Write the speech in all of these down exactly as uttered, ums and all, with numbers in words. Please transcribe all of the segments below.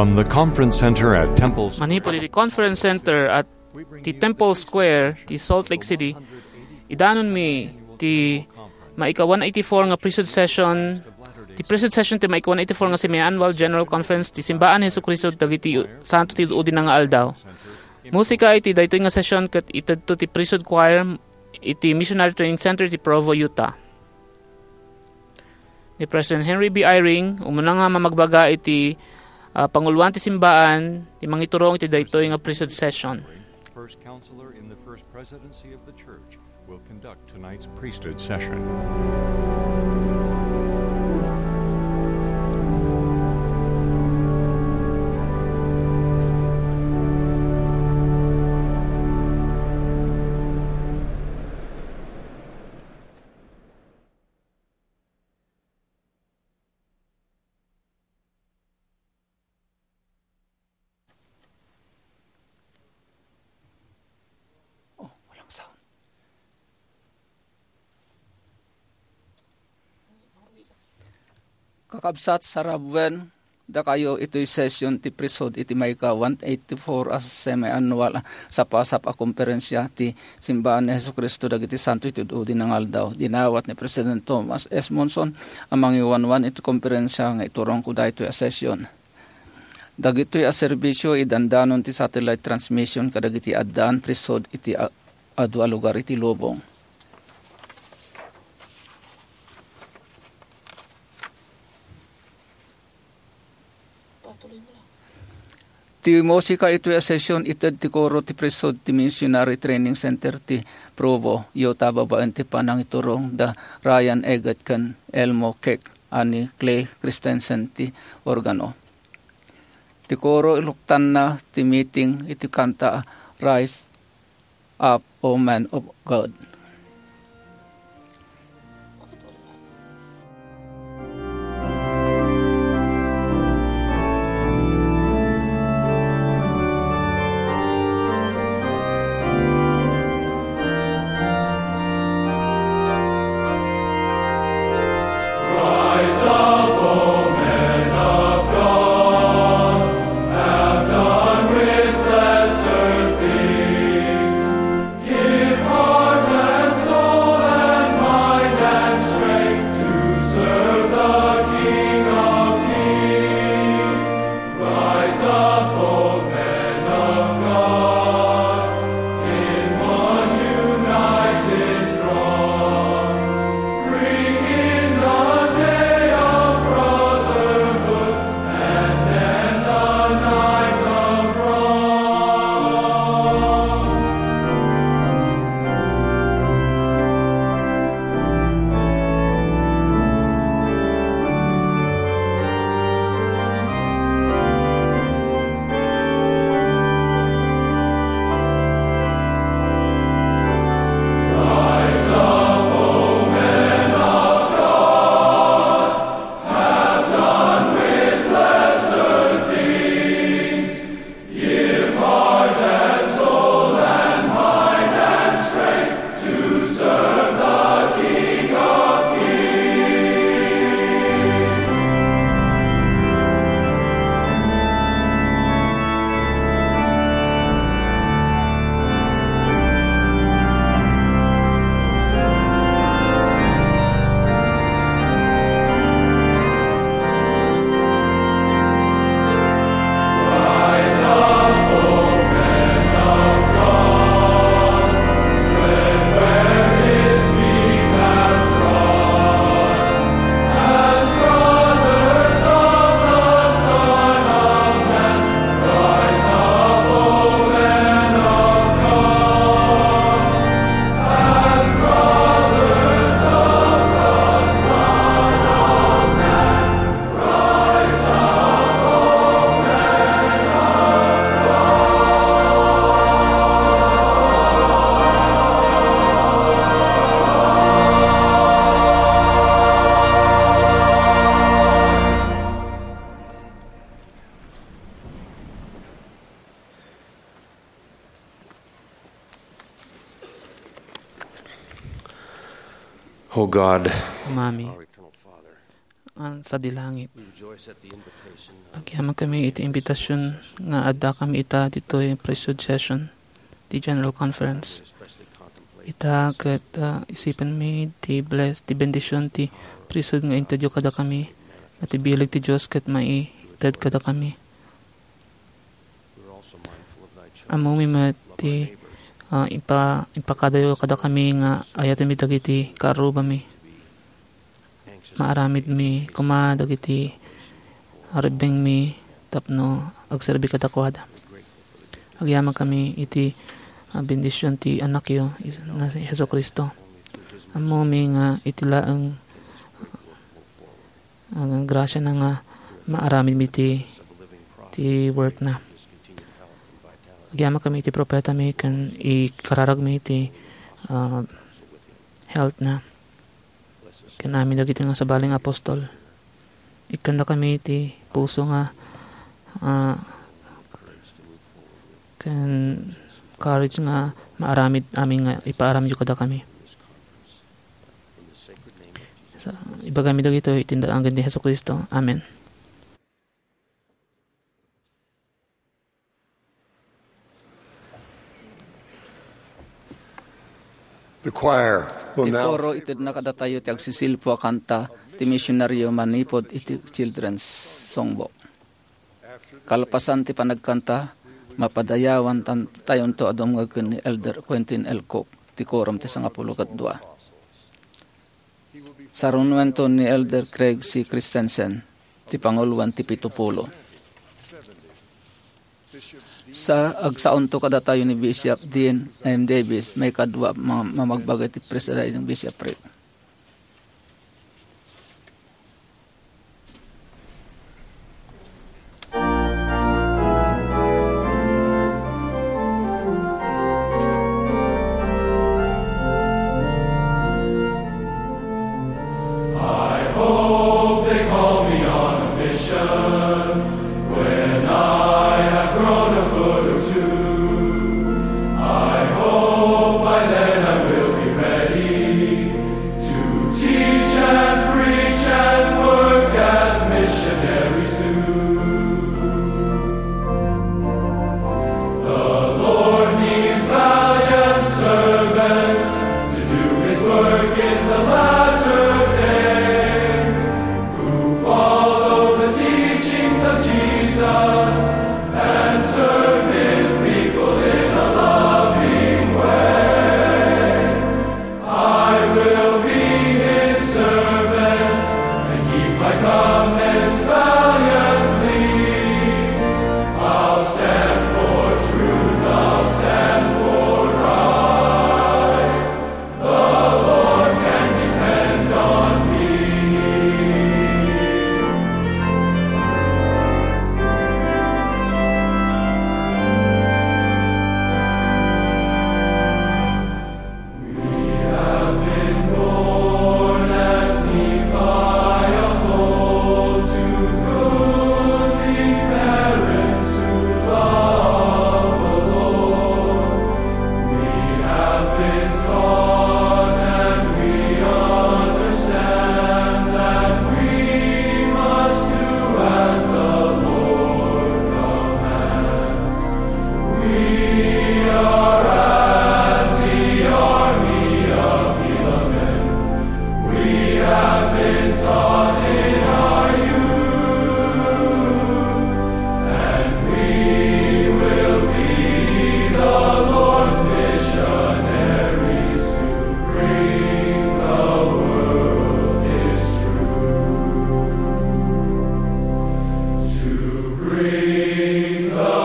From the Conference Center at Temple Manipod iti Conference Center at ti Temple Square ti Salt Lake City, idanonmi ti maika one eighty-four nga priesthood session, ti priesthood session ti maika one eighty-four nga semi-annual general conference ti Simbaan ni Jesu-Cristo dagiti Santo ti Udi nga Aldaw. Musika iti daytoy nga session ket itedto ti Priesthood Choir iti Missionary Training Center ti Provo, Utah. Ni President Henry B. Eyring, umuna nga mamagbaga iti, ah, panguloan ti simbaan, ti mangiturong iti daytoy nga priesthood session. First counselor in the First Presidency of the Church will conduct tonight's priesthood session. Oh, walang sound. Kakabsat, sarabuen dakayo itoy session ti priesthood iti maika one eighty-four a semi-annual a sapasap a komperensia ti Simbaan ni Jesu-Cristo dagiti Santo iti Udi nga Aldaw. Dinawat ni President Thomas S. Monson a mangiwanwan iti komperensia nga iturongko daytoy a session. Dagitoy a serbisio, idandanon ti satellite transmission kadagiti addaan priesthood iti a-, adu a lugar iti lubong. Ti musika itoy a session, ited ti koro ti priesthood ti Missionary Training Center ti Provo, Utah, babaen ti panangiturong da Ryan Eggett ken Elmo Keck, a ni Clay Christensen ti organo. Ti koro, iluktanna ti meeting iti kanta a Rise Up, O Man of God. Rise up, O men of God, have done with lesser things. Give heart and soul and mind and strength to serve the King of Kings. Rise up, O men of God, in one united throng. Bring in the day of brotherhood, and end the night of wrong. O God, Ama mi, our eternal Father, man sadi langit. Agyamankami iti imbitasyon nga addakami ita ditoy priesthood session ti General Conference. Ita ket, ah, isipenmi ti bless, ti bendisyon ti priesthood nga intedyo kadakami, nga ti bileg ti Dios ket maited kadakami. Ammomi met ti, ah, ipa-, impakadayo kadakami nga ayatenmi dagiti kaarrubami. Maaramidmi koma dagiti rebbengmi tapno agserbi kadakuada. Agyamankami iti, ah, bendisyon ti Anakyo, is-, na si Jesu-Cristo. Ammomi nga iti laeng, ah, grasiana nga maaramidmi ti, ti work na. Agyamankami iti propetami ken ikararagmi ti, ah, health na. Ken amin dagiti nga sabali nga apostol. Ikkandakami ti puso nga, ah, ken courage nga maaramid amin nga ipaaramidyo kadakami. Sa, ibagami dagitoy iti nagangan ni Jesu-Cristo. Amen. The choir will Ti now koro itedna kadatayo ti agsisilpo a kanta ti misionaryo manipud iti Children's Songbook. Kalpasan ti panagkanta, mapadayawan tan-, tayonto a dumngeg ken ni Elder Quentin L. Cook, ti Quorum ti Sangapulo ket Dua. Sarunoento ni Elder Craig C. Christensen, ti panguloen ti Pito Pulo. Sa, agsaonto kadatayo ni Bishop Dean M. Davis, maikadua a ma-, mamagbaga iti presiding bishopric. I hope they call me on a mission when I have grown a foot or two. I hope by then I will be ready to teach and preach and work as missionaries do. The Lord needs valiant servants to do his work in the latter day, who follow the teachings of Jesus and serve his people in a loving way. I will be his servant and keep my covenants valiantly. I'll stand for truth, I'll stand for right. The Lord can depend on me. We have been born as Nephi of old to goodly parents who love the Lord. We have been taught and we understand that we must do as the Lord commands. We are as the army of Helaman. We have been taught in our youth, and we will be the Lord's missionaries to bring the world His truth. To bring the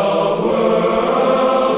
world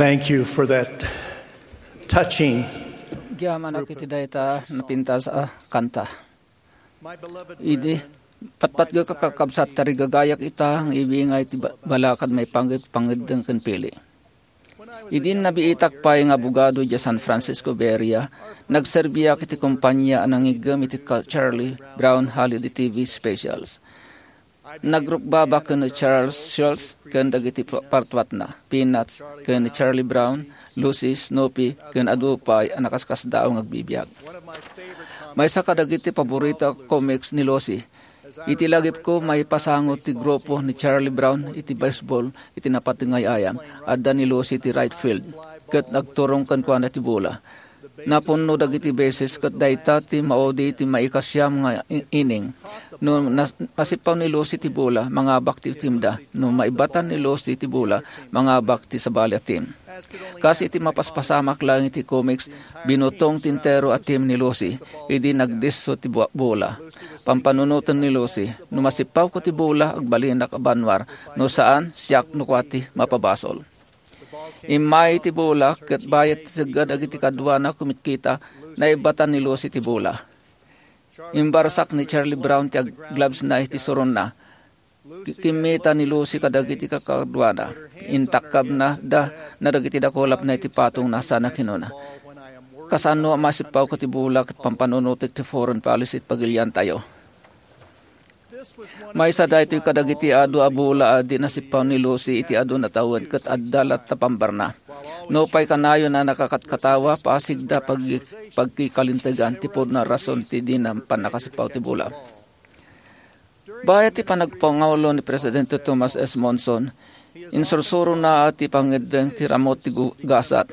Thank you for that touching. Agyamanak iti dayta napintas a kanta. Idi patpatgek a kakabsat, tarigagayak ita nga ibingay ti ba-, balakad maipanggep pangeddeng ken pili. Idi nabiitak pay nga abogado idiay San Francisco Bay Area, nagserbiak iti kompania a nangiggem iti ka-, Charlie Brown Holiday T V specials. Nagrukbabak ken ni Charles Schulz ken dagiti pa-, partuatna, Peanuts, ken ni Charlie Brown, Lucy, Snoopy, ken adu pay a nakaskasdaaw nga agbibiag. Maysa kadagiti paborito a comics ni Lucy. Iti lagipko, maipasango ti grupo ni Charlie Brown iti baseball iti napateg nga ay-ayam. Adda ni Lucy iti right field, ket nagturong kenkuana ti bola. Napunno dagiti bases ket dayta ti maudi ti maikasiam nga i-, inning. No nas-, masippaw ni Lucy ti bola, mangabak ti teamda. No maibatan ni Lucy ti bola, mangabak ti sabali a team. Kas iti mapaspasamak laeng iti comics, binutong ti entero a team ni Lucy idi nagdisso ti bu-, bola. Pampanunoten ni Lucy, "No masippawko ti bola, agbalinak a banwar. No saan, siak no kua ti mapabasol." Immay ti bola, ket bayat ti segga dagiti kaduana kumitkita, naibatan ni Lucy ti bola. Imbarsak ni Charlie Brown ti ag-, glovesna iti suronna. Ki-, kimmita ni Lucy kadagiti kakaduana. Intakkabna da na dagiti dakulapna iti patongna sana kinuna, "Kasano a masippawko ti bola ket pampanunotek ti foreign policy iti pagiliantayo?" Maysa daytoy kadagiti adu a bola a di nasippaw ni Lucy iti adu natawen ket adda latta pambarna. Nupay kanayon a nakakatkatawa, pasigda pag-, pagkikalintegan ti pudno a rason ti di na pannakasippaw ti bola. Bayat ti panagpangulo ni Presidente Thomas S. Monson, insursurona ti pangeddeng ti ramut ti gu-, gasat.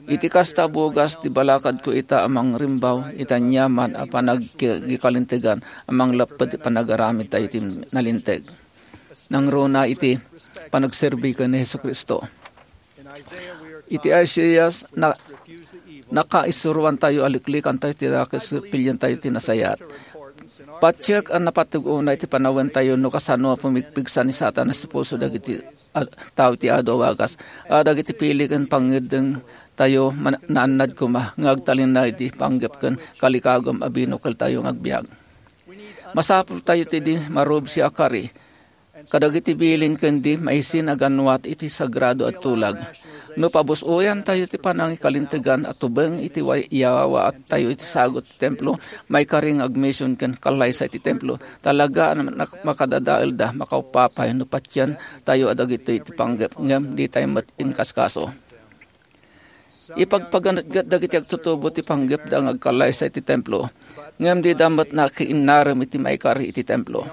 Iti kasta a bugas ti balakadko ita a mangrimbaw iti aniaman a panagki-, kikalintegan a manglapped ti panagaramidtayo iti nalinteg. Nangruna iti panagserbi ken ni Jesu-Cristo. Iti Isaias, na-, nakaisuroantayo a liklikantayo ti dakes ket pilientayo ti nasayaat. Patiek a napateg unay ti panawentayo no kasano a pumigpigsa ni Satanas ti pulso dagiti a-, tao ti adu a wagas. A dagiti pili ken pangeddeng tayo man-, naannad koma nga agtalinaed ti panggep ken kalikagum a binukeltayo nga agbiag. Masapultayo ti di marubsi a kari kadagiti bilin ken di maisin a ganwat iti sagrado a tulag. No pabus-oyantayo ti panangikalintegan a tubeng iti way-, yawawattayo iti sagut ti templo, maikari nga agmision ken kallaysay ti templo. Talaga a nak-, makadadaelda, makaupapay no patiantayo a dagitoy ti panggep, ngem ditay met inkaskaso. Ipagpaganetget dagiti agtutubo ti panggepda nga agkallaysay ti templo, ngem dida met nakiinnarem iti maikari iti templo.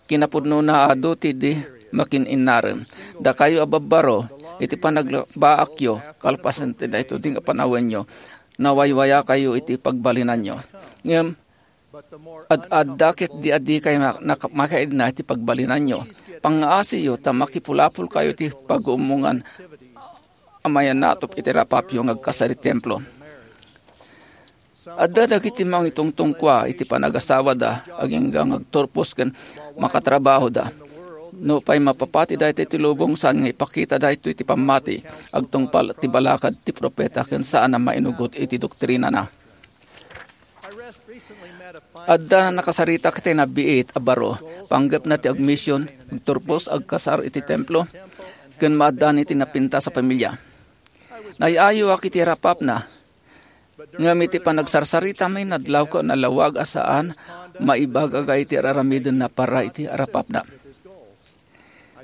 Kinapudnona, adu ti di makin-innarem. Dakayo a babbaro, iti panagbaakyo, kalpasan ti daytoy nga panawenyo, nawaywayakayo iti pagbalinanyo. Ngem, ad-adda ket di adikay ma-, nak-, makaidna iti pagbalinanyo. Pangngaasiyo ta makipulapolkayo iti pag-uumongan a mayanatop iti rapapyo nga agkasar iti templo. Adda dagiti mangitungtungkua iti panagasawada, agingga nga agturpos ken makatrabahoda. Nupay mapapati daytoy ti lubong, saan nga ipakita daytoy ti pammati, agtungpal ti balakad ti profeta ken saan a mainugot iti doktrinana. Adda nakasaritak iti nabiit a baro, panggepna ti agmision, agturpos, agkasar iti templo, ken maaddaan iti napintas a pamilia. Naay-ayoak iti rapapna, ngem iti panagsarsarita, inadlawko a nalawag a saan maibagaga iti ar-aramidenna para iti rapapna.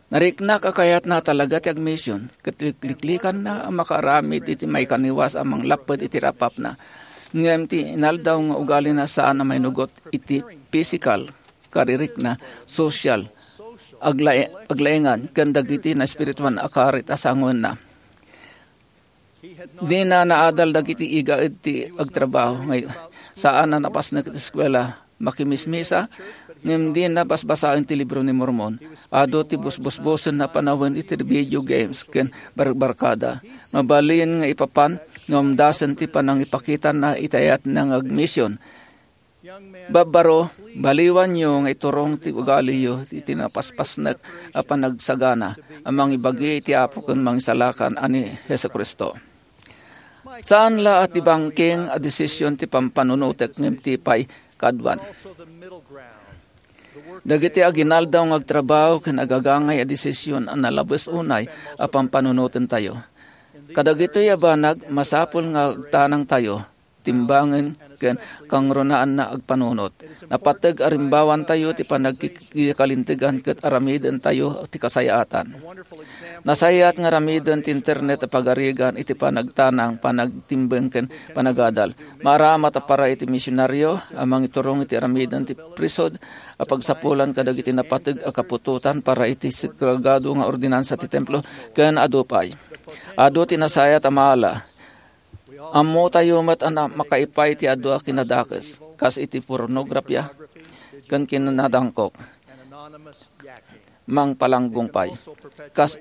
Nariknak a kayatna talaga ti agmision, ket likliklikanna a makaaramid iti maikaniwas a manglapped iti rapapna. Ngem ti inaldaw nga ugalina saan a mainugot iti pisikal, karirikna, sosyal, aglae-, aglaengan, ken dagiti naespirituan a karit a sangoenna. Dina naadal dagiti igaed ti agtrabaho, nga saan a napasnek iti eskuela, makimismisa, ngem dina basbasaen ti Libro ni Mormon. Adu ti busbusbosen a panawen iti video games ken barbarkada. Mabalin nga ipapan nga umdasen ti panangipakitana iti ayatna nga agmision. Babbaro, baliwanyo nga iturong ti ugaliyo iti napaspasnek a panagsagana a mangibagi iti Apo ken Mangisalakan a ni Jesu-Cristo. Saan la a ti bangking a desisyon ti pampanunotek ngem ti pay kaaduan. Dagiti aginaldaw nga agtrabaho ken agagangay a desisyon a nalabes unay a pampanunotentayo. Kadagitoy a banag, masapul nga agtanangtayo, timbangen ken kangrunaan a agpanunot. Napateg a rimbawantayo ti panagkikalintegan ket aramidentayo ti kasayaatan. Nasayaat nga aramiden ti internet a pagarigan iti panagtanang, panagtimbeng ken panagadal. Maaramat a para iti misionario a mangiturong iti aramiden ti priesthood a pagsapulan kadagiti napateg a kaputotan para iti sagrado nga ordinansa ti templo ken adu pay. Adu ti nasayaat a maala. Ammotayo met a na-, makaipay ti adu a kinadakes, kas iti pornografia ken kinadangkok. Mangpalanggong pay. Kas,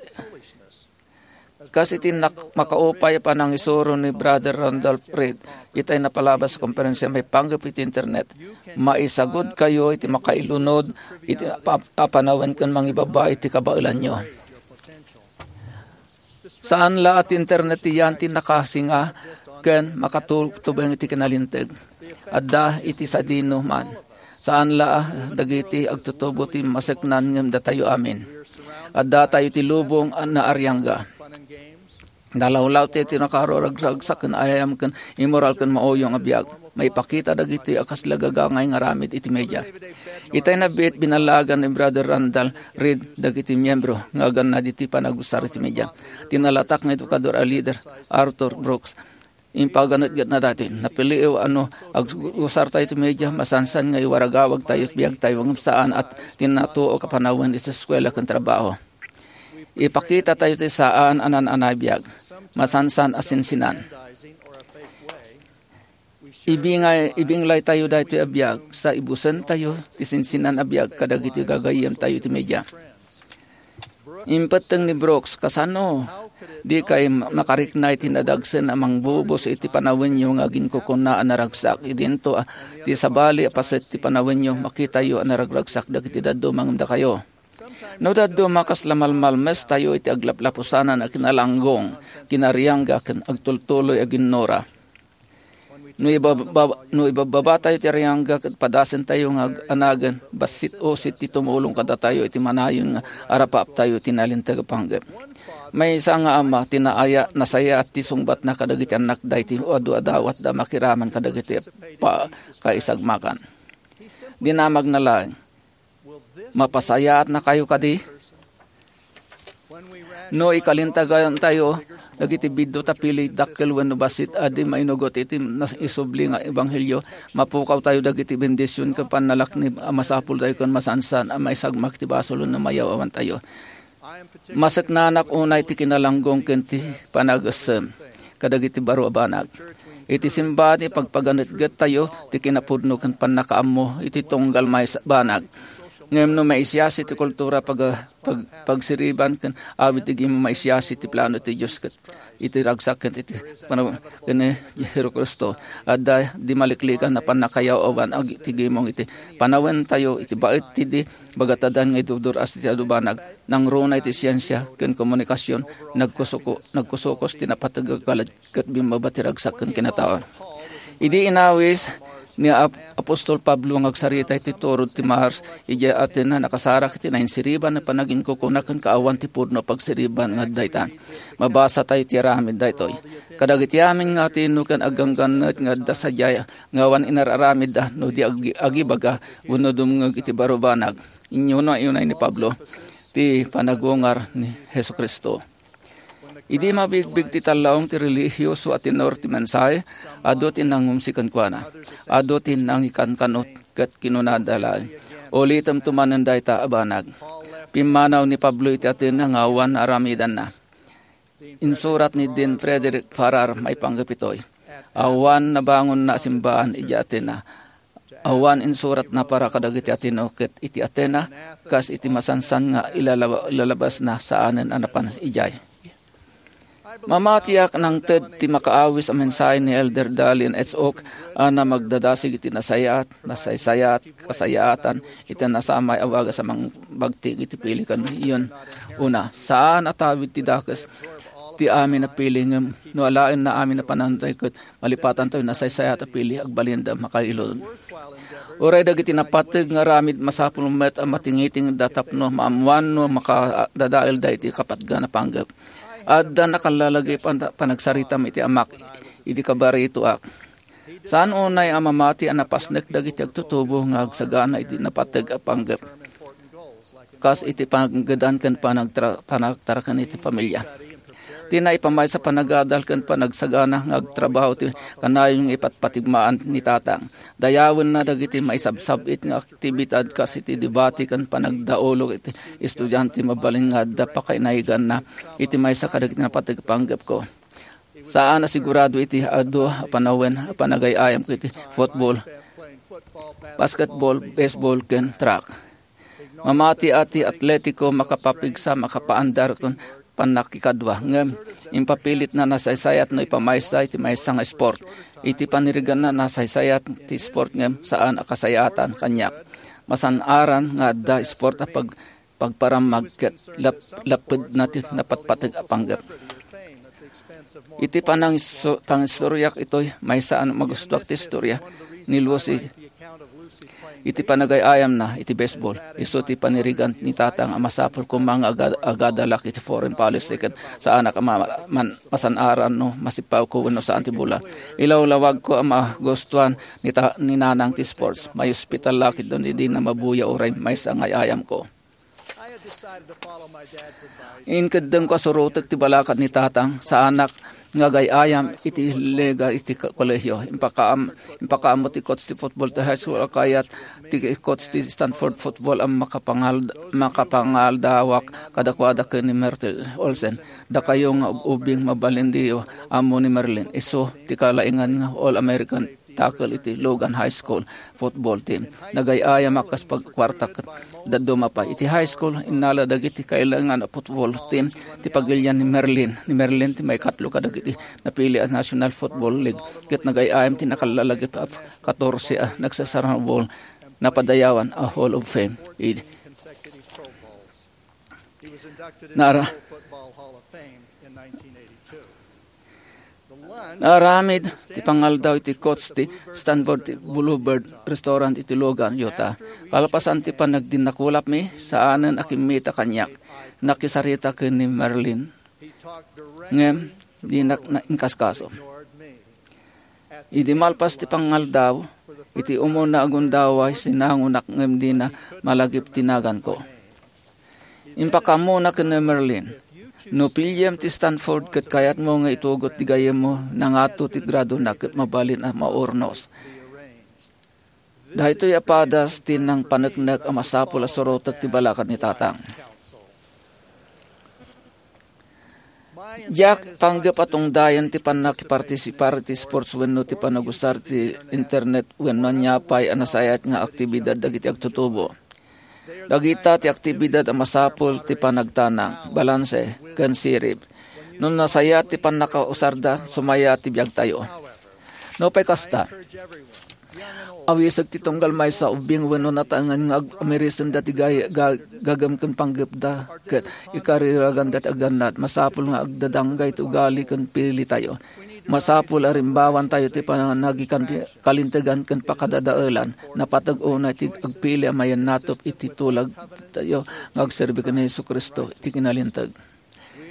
kas iti nak-, makaupay a panangisuro ni Brother Randolph Reed, itay napalabas a konferensia maipanggep iti internet. Maisagudkayo iti makailunod iti apa-, a panawen ken mangibaba iti kabaelanyo. Saan la a ti internet ti yan ti nakasinga ken makatubeng iti kinalinteg. Adda iti sadino man. Saan la a dagiti agtutubo ti maseknan ngem datayo amin. Addatayo iti lubong a naariangga. Nalawlawte ti nakaruragragsak ken ayam ken immoral ken mauyong a biag. Maipakita dagitoy a kasla gagangay nga aramid iti media. Itay nabiit, binallagan ni Brother Randall Reed dagiti miyembro nga agannad iti panagusar iti media. Ti nalatak nga edukador a lider, Arthur Brooks, impaganetgetna daytoy. Napiliw a no agusartayo iti media, masansan nga iwaragawagtayo iti biagtayo ngem saan a ti natuok a panawen iti eskuela ken trabaho. Ipakitatayo ti saan a naan-anay biag, masansan a sinsinan. Ibingay, ibinglaytayo daytoy a biag, sa ibusentayo ti sinsinan a biag kadagiti gagayyemtayo iti media. Impetteng ni Brooks, "Kasano? Dikay ma-, makarikna iti nadagsen a mangbubus iti panawenyo nga aginkukuna a naragsak. Idinto a ti sabali a paset ti panawenyo, makitayo a naragragsak dagiti dadduma ngem dakayo." No dadduma, kasla malmalmestayo iti aglaplapusanan a kinalanggong, kinariangga, ken agtultuloy a ginnura. No ibababa-, no ibabbabatayo ti ariangga ket padasentayo nga ag-, anagen, bassit-usit ti tumulong kadatayo iti manayon nga arapaaptayo iti nalinteg a panggep. Maysa nga ama ti naaya-, nasayaat ti sungbatna kadagiti annakda iti adu a dawatda makiraman kadagiti pa-, kaisagmakan. Dinamagna laeng, "Mapasayaatnakayo kadi?" No ikalintagaentayo dagiti biddut a pili, dakkel wenno bassit a di mainugot iti naisubli nga ebanghelio, mapukawtayo dagiti bendision ken pannalaknib a masapultayo ken masansan a maisagmak ti basol wenno mayaw-awantayo. Maseknanak unay ti kinalanggong ken ti panagessem kadagiti baro a banag. Iti simbahan, ipagpaganetgettayo ti kinapudno ken pannakaammo iti tunggal maysa a banag. Ngem no maisiasi ti kultura, pag-, pag-, pagsiriban ken awit ti gimong maisiasi ti plano ti Dios ket iti ragsak ken iti panaw-, ken ni Jesu-Cristo, adda di maliklikan a pannakayaw-awan ag-, ti gimong iti panawentayo iti baet ti di bagatadan nga idudur-as ti adu a banag, nangruna iti siensia ken komunikasion, nagkusuko-, nagkusukos ti napateg a galad ket bimmaba ti ragsak ken kinatao. Idi inawis ni Ap-, Apostol Pablo nga agsarita iti turod ti Mars idiay Atenas, nakasarak iti nainsiriban a panaginkukuna ken kaawan ti pudno a pagsiriban nga adda ita. Mabasatayo ti aramid daytoy. Kadagiti amin nga Ateneo ken agganggannet nga adda sadiay nga awan inar-aramidda no di agi-, agibaga wenno dumngeg iti baro a banag. Inyunayo ni Pablo ti panagungar ni Jesu-Cristo. Idi mabigbig ti tallaong ti relihiyoso a tenor ti mensahe, adu ti nangumsi kenkuana. Adu ti nangikankanot ket kinunada laeng, "Ulitemto manen dayta a banag." Pimmanaw ni Pablo iti Atenas nga awan aramidanna. Insurat ni Dean Frederick Farrar maipanggep itoy. Awan nabangonna a simbahan idiay Atenas. Awan insuratna para kadagiti Ateneo ket iti Atenas, kas iti masansan nga ilalaba-, ilalabasna saanen a napan idiay. Mamatiak nangted ti makaawis a mensahe ni Elder Dallin H. Oak a namagdadasig iti nasayaat, nasaysayat, kasayaatan iti nasamay a bagas a mangbagtik iti pili ken yun. Una, saan a tawid ti dakes ti amin a pili ngem no alaenna amin a panangtay ket malipatantayo nasaysayat a pili agbalinda makailod. Uray dagiti napateg nga aramid masapul met a matingitingda tapno maammoan no makadadaelda iti kapatgan a panggep. Adda nakalalagip a panagsaritam iti amak idi kabaritoak. Saan unay a mamati a napasnek dagiti agtutubo nga agsagana iti napateg a panggep kas iti panaggedan ken panagtra-, panagtaraken iti pamilia. Ti naipamaysa panagadal ken panagsagana nga agtrabaho ti kanayon nga ipatpatigmaan ni Tatang. Dayawenna dagiti maisabsab-it nga aktibidad kas iti debate ken panagdaulog iti estudiante mabalin nga adda pakainayaganna iti maysa kadagiti napateg a panggepko. Saan a sigurado iti adu a panawen a panagay-ayam iti football, basketball, baseball, ken track. Mamati a ti Atletico makapapigsa, makapaandar ken pannakikadua, ngem impapilitna nasaysayat no ipamaysa iti maysa nga sport. Iti paniriganna nasaysayat ti sport ngem saan a kasayaatan kaniak. Masan-aran nga adda sport a pag-, pagparammag ket lap-, lapedna ti napatpateg a panggep. Iti panangisu-, pangistoriak itoy, maysa a magustuak ti istorya ni Lucy iti panagay-ayamna iti baseball. Isu ti panirigan ni Tatang a masapul koma nga aga-, agadalak iti foreign policy ket saanak a ma-, man-, masan-aran no masipawko wenno saan ti bola. Ilawlawagko a magustuan ni ta-, ni Nanang ti sports. Maiospital la ket no dina mabuya uray maysa nga ay-ayamko. Inkeddengko a surotek ti balakat ni Tatang, saanak nga agay-ayam iti liga iti ko-, kolehiyo. Impakaam-, impakaammo ti coach ti football ti high school a kayat ti coach ti Stanford football a makapangal-, makapangaldawak kadakuada ken ni Myrtle Olsen. Dakayo nga ub-, ubing mabalindiyo ammo ni Merlin. Isu ti kalaingan nga All-American tackle iti Logan High School football team. Nagay-ayamak kas pagkuarta ket dadduma pay. Iti high school, innala dagiti kailangan a football team ti pagilian ni Merlin. Ni Merlin ti maikatlo kadagiti napili a National Football League ket nagay-ayam ti nakalalagip a katorse a nagsasarang ball napadayawan a Hall of Fame. Id-, Nara-, Naaramid ti pangaldaw iti coach ti Stanford ti Bluebird Restaurant iti Logan, Utah. Kalpasan ti panagdinnakulapmi, saanen a kimmita kaniak. Nakisarita ken ni Merlin. Ngem, dinak na inkaskaso. Idi malpas ti pangaldaw, iti umuna a gundaway, sinangonak ngem dina malagip ti naganko. Impakammona ken ni Merlin, "No piliem ti Stanford ket kayatmo nga itugot ti gayyemmo, nangato ti gradona ket mabalin a maurnos." Daytoy a padas ti nangpaneknek a masapul a surotek ti balakat ni Tatang. Diak panggep a tungdayen ti pannakipartisipar iti sports wenno ti panagusar ti internet wenno ania pay a nasayaat nga aktibidad dagiti agtutubo. Dagita ti aktibidad a masapul ti panagtanang, balanse, ken sirib. No nasayaat ti pannakausarda, sumayaat ti biagtayo. Nupay kasta, awisag ti tunggal maysa, ubing wenno nataengan nga ag-, amirisenda ti gay-, ga-, gagem ken panggepda ket ikariraganda ti aggannad. Masapul nga agdadangga iti ugali ken pilitayo. Masapul a rimbawantayo ti pananagikan ti kalintegan ken pakadadaelan. Napateg unay ti agpili a mayannatop iti tulagtayo nga agserbi ken ni Jesu-Cristo iti kinalinteg.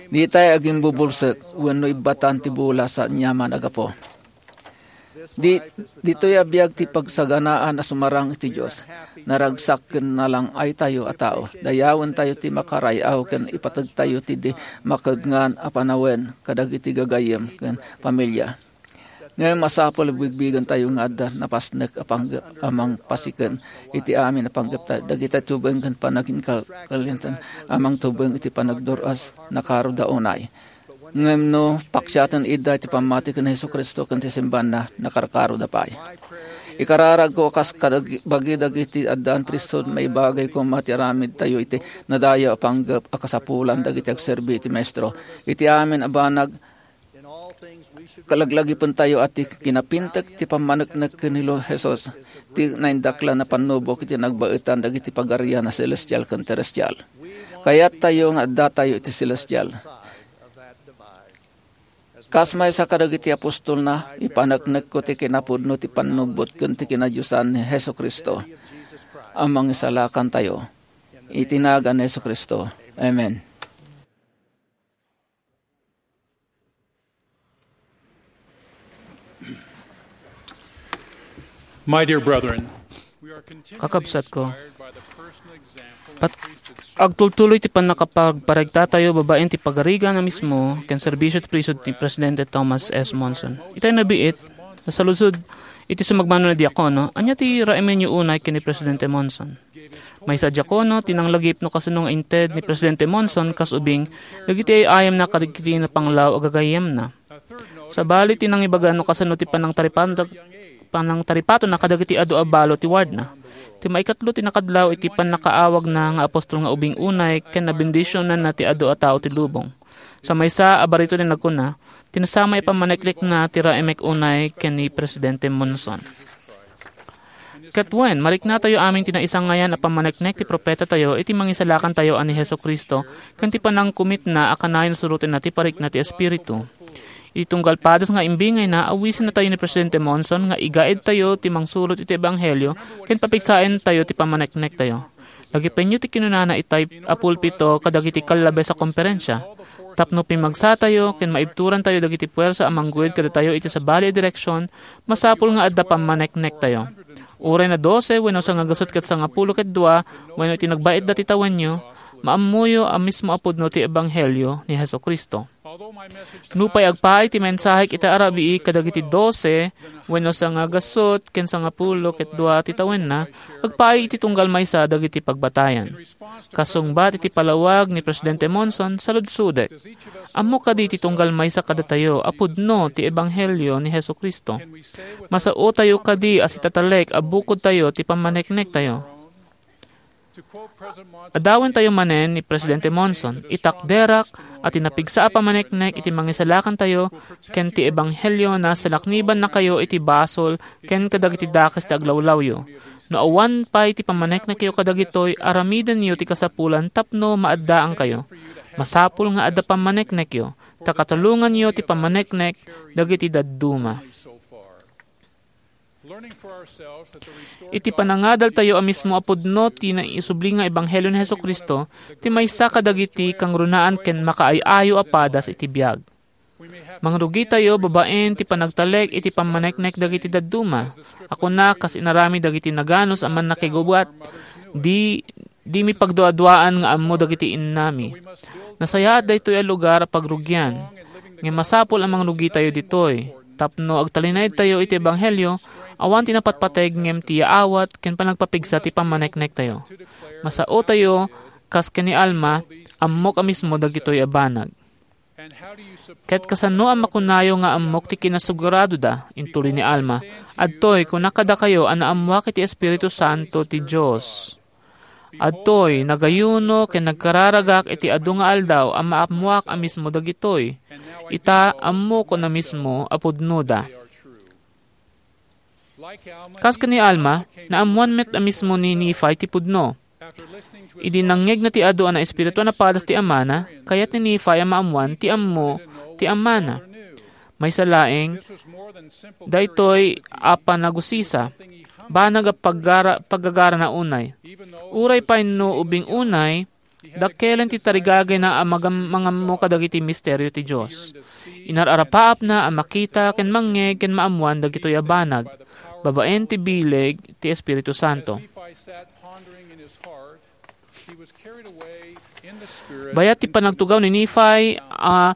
Ditay agimbubulsek wenno ibbatan ti bola sa aniaman a gapu. Di-, ditoy a biag ti pagsaganaan a sumarang iti Dios. Naragsak ken nalang-aytayo a tao. Dayawentayo ti makaray-aw ken ipategtayo ti di makedngan a panawen kadagiti gagayyem ken pamilia. Ngem masapul a bigbigentayo nga adda napasnek a pangge-, a mangpasiken iti amin a panggepta, dagiti tubeng ken panaginkalkalinten a mangtubeng iti panagdur-as, nakaroda unay. Ngem no paksiaten ida iti pammati ken Jesu-Cristo ken ti simbaanna, nakarkaroda pay. Ikararagko a kas kadag-, bagi dagiti addaan pristut, maibagay koma ti aramidtayo iti nadayaw a panggep a kasapulan dagiti agserbi iti Maestro. Iti amin a banag, Kalaglagipentayo a ti kinapintek ti pammaneknek ken ni Lo Jesus, ti naindaklan a pannubok iti nagbaetan dagiti pagarian a selestial ken terestial. Kayattayo nga addatayo iti selestial. Kas maysa kadagiti apostolna, ipaneknekko ti kinapudno ti pannubbot ken ti kinadiosan ni Jesu-Cristo a mangisalakantayo. Iti nagan ni Jesu-Cristo. Amen. My dear brethren, we are continually Kakabsatko, inspired by the personal example and pat-, priesthood agtultuloy ti pannakapagparigtatayo babaen ti pagarigan a mismo ken serbisio ti priesthood ni Presidente Thomas S. Monson. Itay nabiit, nasaludsod iti sumagmamano a diakono, ania ti raemenyo unay ken ni Presidente Monson? Maysa a diakono ti nanglagip no kasano nga inted ni Presidente Monson kas ubing dagiti ay-ayamna kadagiti napanglaw a gagayyemna. Sabali ti nangibaga no kasano ti panangtaripan-, panangtaripatonna kadagiti adu a balo ti wardna. Ti maikatlo ti nakadlaw iti pannakaawagna nga apostol nga ubing unay ken nabendisionanna ti adu a tao ti lubong. Sa maysa a barito ti nagkuna, "Ti nasamay a pammaneknekna ti raemek unay ken ni Presidente Monson." Ket wen, mariknatayo amin ti naisangayan a pammaneknek ti propetatayo iti Mangisalakantayo a ni Jesu-Cristo ken ti panangkumitna a kanayon surotenna ti parikna ti Espiritu. Iti tunggal padas nga imbingayna, awisennatayo ni Presidente Monson nga igaedtayo ti mangsurot iti ebanghelio ken papigsaentayo ti pammaneknektayo. Lagipenyo ti kinunana itay a pulpito kadagiti kallabes a komperensia. Tapno pimmagsatayo ken maibturantayo dagiti puersa a mangguyod kadatayo iti sabali a direksion, masapul nga adda pammaneknektayo. Uray na dose wenno sangagasut ket sangapulo ket dua wenno iti nagbaetda ti tawenyo, maammoyo a mismo a pudno ti ebanghelio ni Jesu-Cristo. Nupay agpaay ti mensahek ita a rabii kadagiti dose wenno sangagasut ken sangapulo ket dua ti tawenna, agpaay iti tunggal maysa dagiti pagbatayan. Kasungbat iti palawag ni Presidente Monson, saludsodek, ammo kadi ti tunggal maysa kadatayo a pudno ti ebanghelio ni Jesu-Cristo? Masaotayo kadi a sitatalek a bukodtayo ti pammaneknektayo? Adawentayo manen ni Presidente Monson, "Itakderak a ti napigsa a pammaneknek iti Mangisalakantayo ken ti ebanghelio, nasalaknibannakayo iti basol ken kadagiti dakes ti aglawlawyo. No awan pay ti pammaneknekyo kadagitoy, aramidenyo ti kasapulan tapno maaddaankayo. Masapul nga adda pammaneknekyo, ta katulonganyo ti pammaneknek dagiti dadduma." Iti panangadaltayo a mismo a pudno ti naisubli nga ebanghelio ni Jesu-Cristo, ti maysa kadagiti kangrunaan ken makaay-ayo a padas iti biag. Mangrugitayo babaen ti panagtalek iti pammaneknek dagiti dadduma. A kuna kas inaramid dagiti naganus a mannakigubat, di, dimi pagduaduaan nga ammo dagiti innami. Nasayaat daytoy a lugar a pagrugian, ngem masapul a mangrugitayo ditoy. Tapno agtalinaedtayo iti ebanghelio, awan ti napatpateg ngem ti yaawat ken panagpapigsa ti pammaneknektayo. Masaotayo, kas ken ni Alma, ammok a mismo dagitoy a banag. Ket kasano a makunayo nga ammok ti kinasuguradoda? Intuloy ni Alma, "Adtoy, kunak kadakayo a naammoak iti Espiritu Santo ti Dios. Adtoy, nagayuno ken nagkararagak iti adu nga aldaw a maammoak a mismo dagitoy. Ita, ammokon a mismo a pudnoda." Kas ken ni Alma, naammoan met a mismo ni Nephi ti pudno. Idi nangngegna ti adu a naespirituan a padas ti amana, kayat ni Nephi a maammoan ti ammo ti amana. Maysa laeng, daytoy a panagusisa, banag a paggara-, paggagarana unay. Uray pay no ubing unay, dakkelen ti tarigagayna a magam-, mangammo kadagiti misterio ti Dios. Inar-arapaapna a makita ken mangngeg ken maammoan dagitoy a banag, babaen ti bileg ti Espiritu Santo. Bayat ti panagtugaw ni Nephi a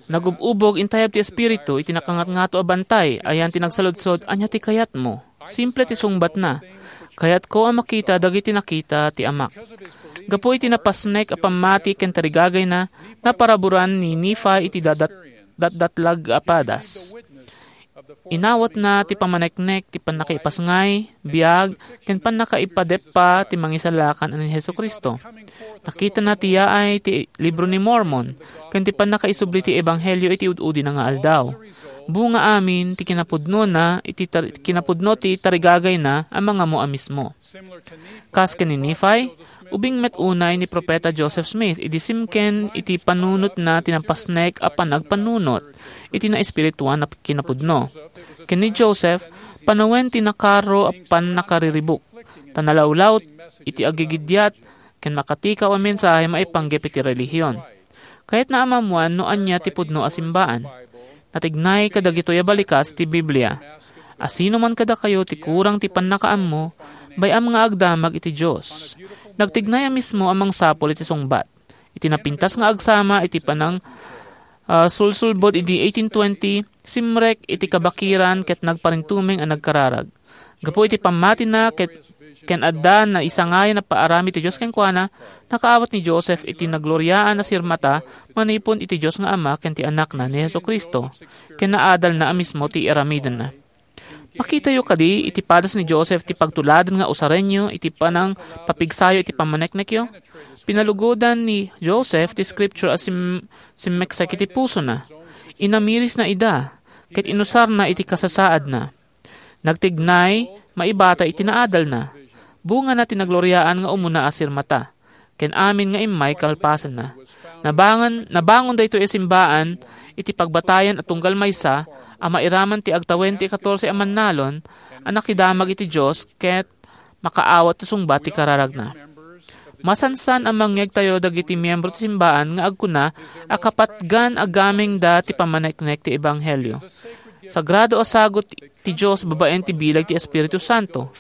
nagub-ubog, intayab ti Espiritu iti nakangatngato a bantay. Ayan ti nagsaludsod, "Ania ti kayatmo?" Simple ti sungbatna, "Kayatko a makita dagiti nakita ti Amak." Gapu iti napasnek a pammati ken tarigagayna, naparaburan ni Nephi iti dadat-, datdatlag a padas. Inawatna ti pammaneknek ti pannakaipasngay, biag, ken pannakaipadeppa ti Mangisalakan a ni Jesu-Cristo. Nakitana ti yaay ti Libro ni Mormon ken ti pannakaisubli ti Ebanghelio iti ud-udina nga aldaw. Bunga amin ti kinapudnona iti tar-, kinapudno ti tarigagayna a mangammo a mismo. Kas ken ni Nephi, ubing met unay ni Profeta Joseph Smith idi simken iti panunotna ti napasnek a panagpanunot iti naespirituan a kinapudno. Ken ni Joseph, panawen ti nakaro a pannakariribuk, ta nalawlaw iti agigidiat ken makatikaw a mensahe maipanggep iti relihion. Kayatna a maammoan no ania ti pudno a simbaan. Natignay kadagitoy a balikas ti Biblia. A sino man kadakayo ti kurang ti pannakaammo, bay-am nga agdamag iti Dios. Nagtignay a mismo a mangsapul iti sungbat. Iti napintas nga agsama iti panang, ah, sulsulbod idi eighteen twenty, simrek iti kabakiran ket nagparintumeng a nagkararag. Gapu iti pammatina ket ken adda naisangayan a paaramid ti Dios kenkuana, nakaawat ni Joseph iti nagloriaan a sirmata manipud iti Dios nga Ama ken ti Anakna ni Jesu-Cristo, ken naadalna a mismo ti aramidenna. Makitayo kadi iti padas ni Joseph ti pagtuladan nga usarenyo iti panangpapigsayo iti pammaneknekyo? Pinalugodan ni Joseph ti scripture a sim-, simmeksek iti pusona. Inamirisna ida, ket inusarna iti kasasaadna. Nagtignay, maibata iti naadalna. Bungana ti nagloriaan nga umuna a sirmata, ken amin nga immay kalpasanna. Nabangan-, nabangon daytoy a simbaan iti pagbatayan a tunggal maysa a mairaman ti agtawen ti katorse a mannalon a nakidamag iti Dios ket makaawat ti sungbat ti kararagna. Masansan a mangngegtayo dagiti miyembro ti simbaan nga agkuna a kapatgan a gamengda ti pammaneknek ti ebanghelio. Sagrado a sagut ti Dios babaen ti bileg ti Espiritu Santo.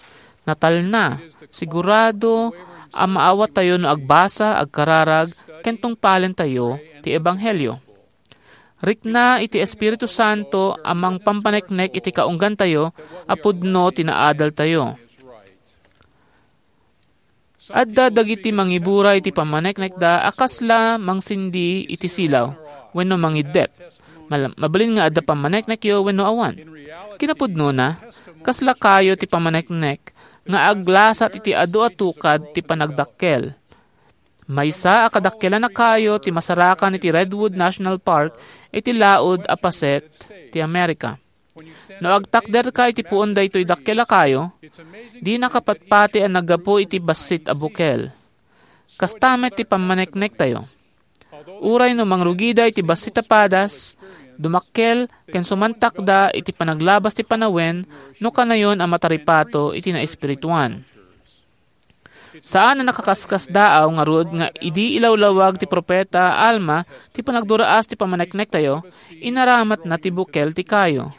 Natalna, sigurado a maawattayo no agbasa, agkararag, ken tungpalentayo ti ebanghelio. Rikna iti Espiritu Santo a mangpampaneknek iti kaunggantayo a pudno ti naadaltayo. Adda dagiti mangibura iti pammaneknekda a kasla mangsindi iti silaw wenno mangiddep. Mal-, mabalin nga adda pammaneknekyo wenno awan. Kinapudnona, kasla kayo ti pammaneknek nga aglasat iti adu a tukad ti panagdakkel. Maysa a kadakkelan a kayo ti masarakan iti Redwood National Park iti laud a paset ti Amerika. No agtakderka iti puon daytoy dakkel a kayo, dina kapatpati a naggapu iti bassit a bukel. Kasta met ti pammaneknektayo. Uray no mangrugida iti bassit a padas, dumakkel ken sumantakda iti panaglabas ti panawen no kanayon a mataripato iti naespirituan. Saan a nakakaskasdaaw ngarud nga idi ilawlawag ti profeta Alma ti panagduraas ti pammaneknektayo, inaramatna ti bukel ti kayo.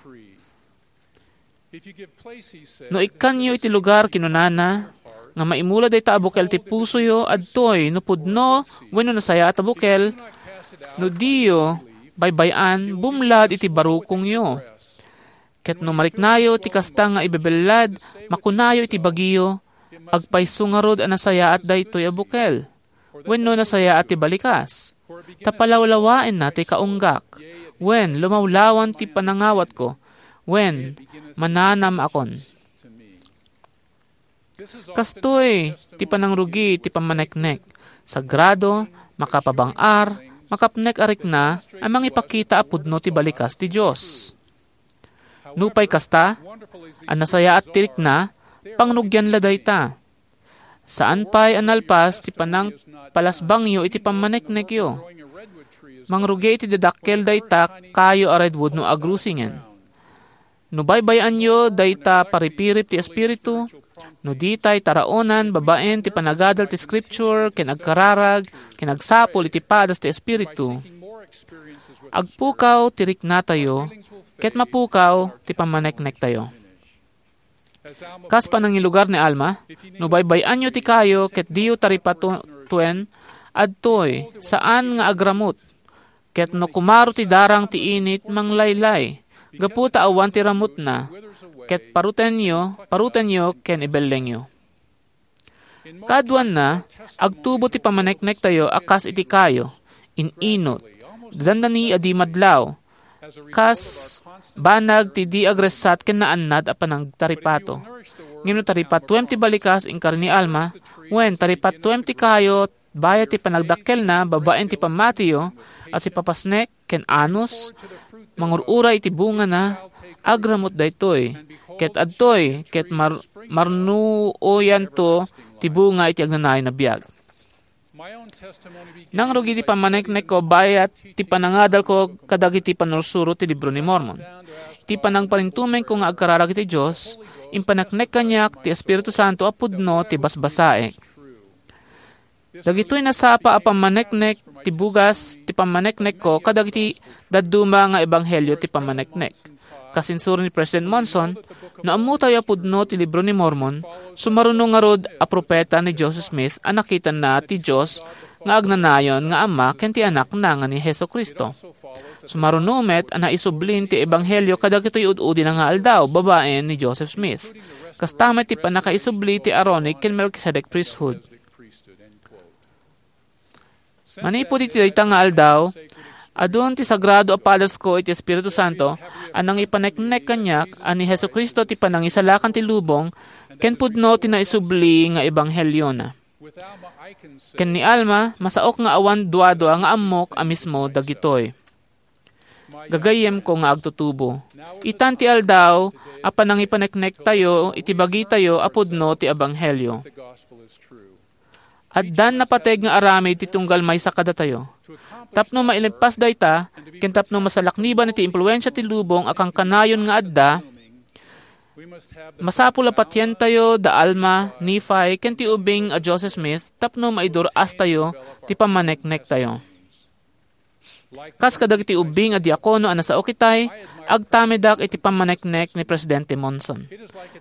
No ikkanyo iti lugar, kinunana, nga maimula dayta a bukel ti pusoyo, adtoy no pudno wenno nasayaat a bukel, no diyo baybay-an, bumlad iti barukongyo. Ket no mariknayo ti kasta nga ibebellad, makunayo iti bagiyo, "Agpayso ngarud a nasayaat daytoy a bukel, wenno nasayaat ti balikas, ta palawlawaenna ti kaunggak, wen lumawlawan ti panangawatko, wen mananam-akon." Kastoy ti panangrugi ti pammaneknek. Sagrado, makapabang-ar, makapnek a rikna a mangipakita a pudno ti balikas ti Dios. Nupay kasta, a nasayaat ti rikna, pangrugian la dayta. Saan pay a nalpas ti panangpalasbangyo iti pammaneknekyo. Mangrugi iti didakkel dayta kayo a redwood no agrusingen. No baybay-anyo dayta paripirip ti Espiritu, no ditay taraonan babaen ti panagadal ti Scripture ken agkararag ken agsapul iti padas ti Espiritu, agpukaw ti riknatayo ket mapukaw ti pammaneknektayo. Kas panangilugar ni Alma, no baybay-anyo ti kayo ket diyo taripatuen, adtoy, saan nga agramut. Ket no kumaro ti darang ti init, manglaylay, gapu ta awan ti ramutna, ket parutenyo, parutenyo ken ibellengyo. Kaaduanna, agtubo ti pammaneknektayo a kas iti kayo, in-inut, dandani a di madlaw, kas banag ti di agressat ken naannad a panagtaripato. Ngem no taripatuem ti balikas, inkari ni Alma, wen taripatuem ti kayo, bayat ti panagdakkelna babaen ti pammatiyo a sipapasnek ken anus, mangur-uray iti bungana, agramo't daytoy, ket adtoy, ket mar-, marnuoyanto ti bunga iti agnanayon a biag. Nangrugi ti pammaneknekko bayat ti panangadalko kadagiti pannursuro ti Libro ni Mormon. Iti panangparintumengko nga agkararag iti Dios, impaneknek kaniak ti Espiritu Santo a pudno ti basbasaek. Dagitoy nasapa a pammaneknek ti bugas ti pammaneknekko kadagiti dadduma nga ebanghelio ti pammaneknek. Kas insuro ni President Monson, no ammotayo a pudno ti Libro ni Mormon, sumaruno ngarud a propeta ni Joseph Smith a nakitanna ti Dios nga agnanayon nga Ama ken ti Anakna nga ni Jesu-Cristo. Sumaruno met a naisublin ti ebanghelio kadagitoy ud-udina nga aldaw babaen ni Joseph Smith. Kasta met ti pannakaisubli ti Aaronic ken Melchizedek priesthood. Manipud iti dayta nga aldaw, adun ti sagrado a padasko iti Espiritu Santo a nangipaneknek kaniak a ni Jesu-Cristo ti panangisalakan ti lubong ken pudno ti naisubli nga ebangheliona. Ken ni Alma, masaok nga awan duadua nga ammok a mismo dagitoy. Gagayyemko nga agtutubo. Itan ti aldaw a panangipaneknektayo iti bagitayo a pudno ti ebanghelio. Addan napateg nga aramid ti tunggal maysa kadatayo. Tapno mailepas dayta, ken tapno masalakniban iti impluensia ti lubong a kankanayon nga adda, masapul a patientayo da Alma, Nephi, ken ti ubing a Joseph Smith tapno maidur-astayo ti pammaneknektayo. Kas kadagiti ubbing a diakono a nasaok itay, agtamedak iti pammaneknek ni Presidente Monson.